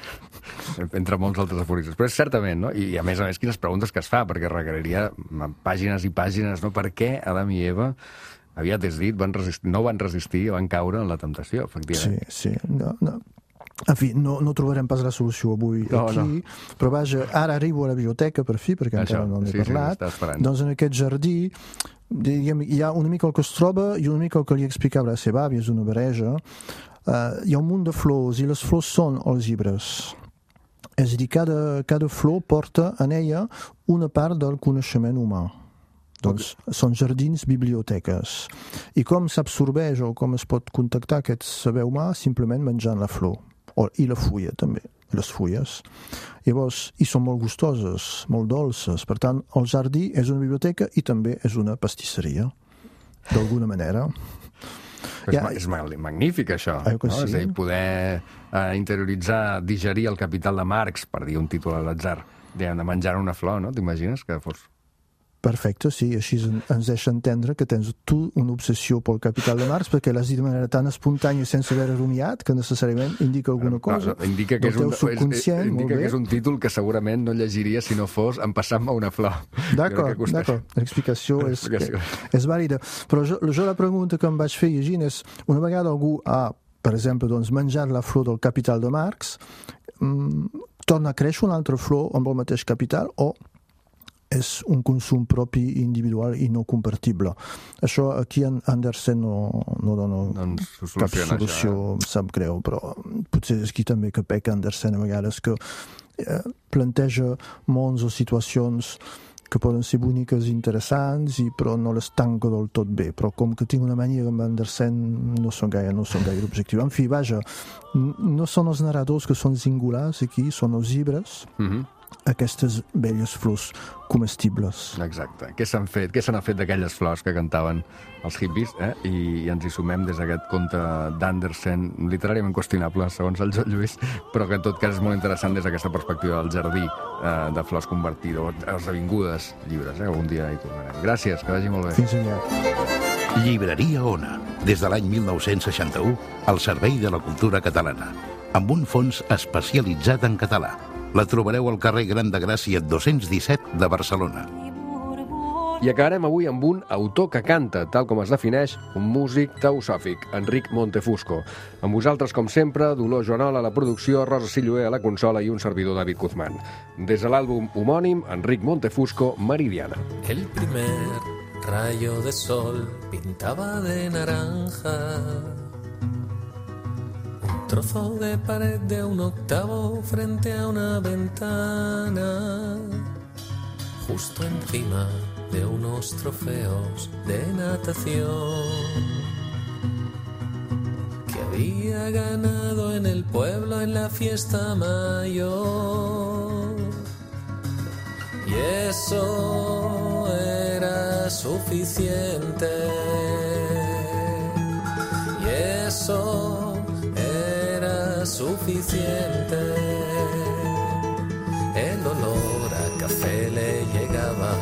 Entre molts altres aforismes. Però és certament, no? I a més a més, quines preguntes que es fa, perquè requeriria pàgines i pàgines, no? Per què Adam i Eva, aviat és dit, van resistir, no van resistir, van caure en la temptació, efectivament. Sí, sí. No, no. En fi, no, no trobarem pas la solució avui no, aquí, no. Però vaja, ara arribo a la biblioteca per fi, perquè això, encara no n'he sí, parlat. Sí, doncs en aquest jardí diguem, hi ha una mica el que es troba i una mica el que li explicava la seva àvia, és una barreja. Uh, hi ha un munt de flors i les flors són els llibres. És a dir, cada, cada flor porta en ella una part del coneixement humà. Doncs okay. Són jardins, biblioteques. I com s'absorbeix o com es pot contactar aquest saber humà? Simplement menjant la flor. O, i la fulla també, les fulles. Llavors, i són molt gustoses, molt dolces. Per tant, el jardí és una biblioteca i també és una pastisseria, d'alguna manera. És, ja, és magnífic, això. Eh, no? sí. És a dir, poder eh, interioritzar, digerir el Capital de Marx, per dir un títol a l'atzar, de menjar una flor, no? T'imagines que fos... Perfecte, sí, així ens deixa entendre que tens tu una obsessió pel Capital de Marx perquè l'has dit de manera tan espontània sense haver rumiat que necessàriament indica alguna cosa. No, indica que, és un, és, indica que és un títol que segurament no llegiria si no fos Empassant-me una flor. D'acord, d'acord. L'explicació és, és vàlida. Però jo, jo la pregunta que em vaig fer llegint és, una vegada algú ha, per exemple, doncs, menjat la flor del Capital de Marx, mmm, torna a créixer una altra flor amb el mateix capital o és un consum propi individual i no compartible. Això aquí en Andersen no, no dona doncs cap solució, això, eh? sap greu, però potser és aquí també que peca Andersen a vegades, que eh, planteja mons o situacions que poden ser boniques i interessants, i, però no les tanca del tot bé. Però com que tinc una mania amb Andersen, no són gaire, no són gaire objectius. En fi, vaja, no són els narradors que són singulars aquí, són els llibres, mm-hmm. aquestes belles flors comestibles. Exacte. Què s'han fet? Què se n'ha fet d'aquelles flors que cantaven els hippies? Eh? I, I ens hi sumem des d'aquest conte d'Andersen, literàriament qüestionable, segons el Joan Lluís, però que en tot cas és molt interessant des d'aquesta perspectiva del jardí eh, de flors convertido, esdevingudes llibres. Eh? Algun dia hi tornarem. Gràcies, que vagi molt bé. Fins aviat. Llibreria Ona, des de l'any mil nou-cents seixanta-u, al servei de la cultura catalana, amb un fons especialitzat en català. La trobareu al carrer Gran de Gràcia dos-cents disset de Barcelona. I acabarem avui amb un autor que canta, tal com es defineix, un músic teosòfic, Enric Montefusco. Amb vosaltres, com sempre, Dolors Joanol a la producció, Rosa Silloé a la consola i un servidor, David Guzmán. Des de l'àlbum homònim, Enric Montefusco, Meridiana. El primer rayo de sol pintaba de naranja trozo de pared de un octavo frente a una ventana, justo encima de unos trofeos de natación que había ganado en el pueblo en la fiesta mayor. Y eso era suficiente. Y eso suficiente. El olor a café le llegaba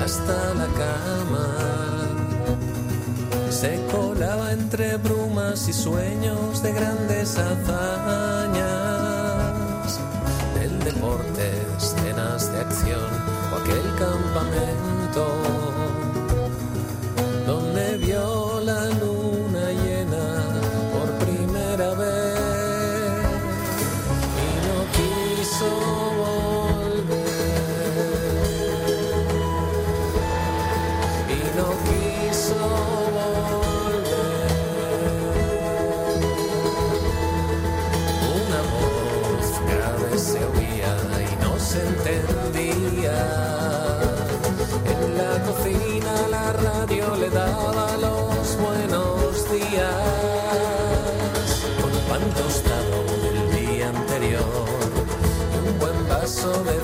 hasta la cama, se colaba entre brumas y sueños de grandes hazañas, del deporte, escenas de acción o aquel campamento donde vio la luna llena por primera vez. Le daba los buenos días con pan tostado del día anterior y un buen vaso de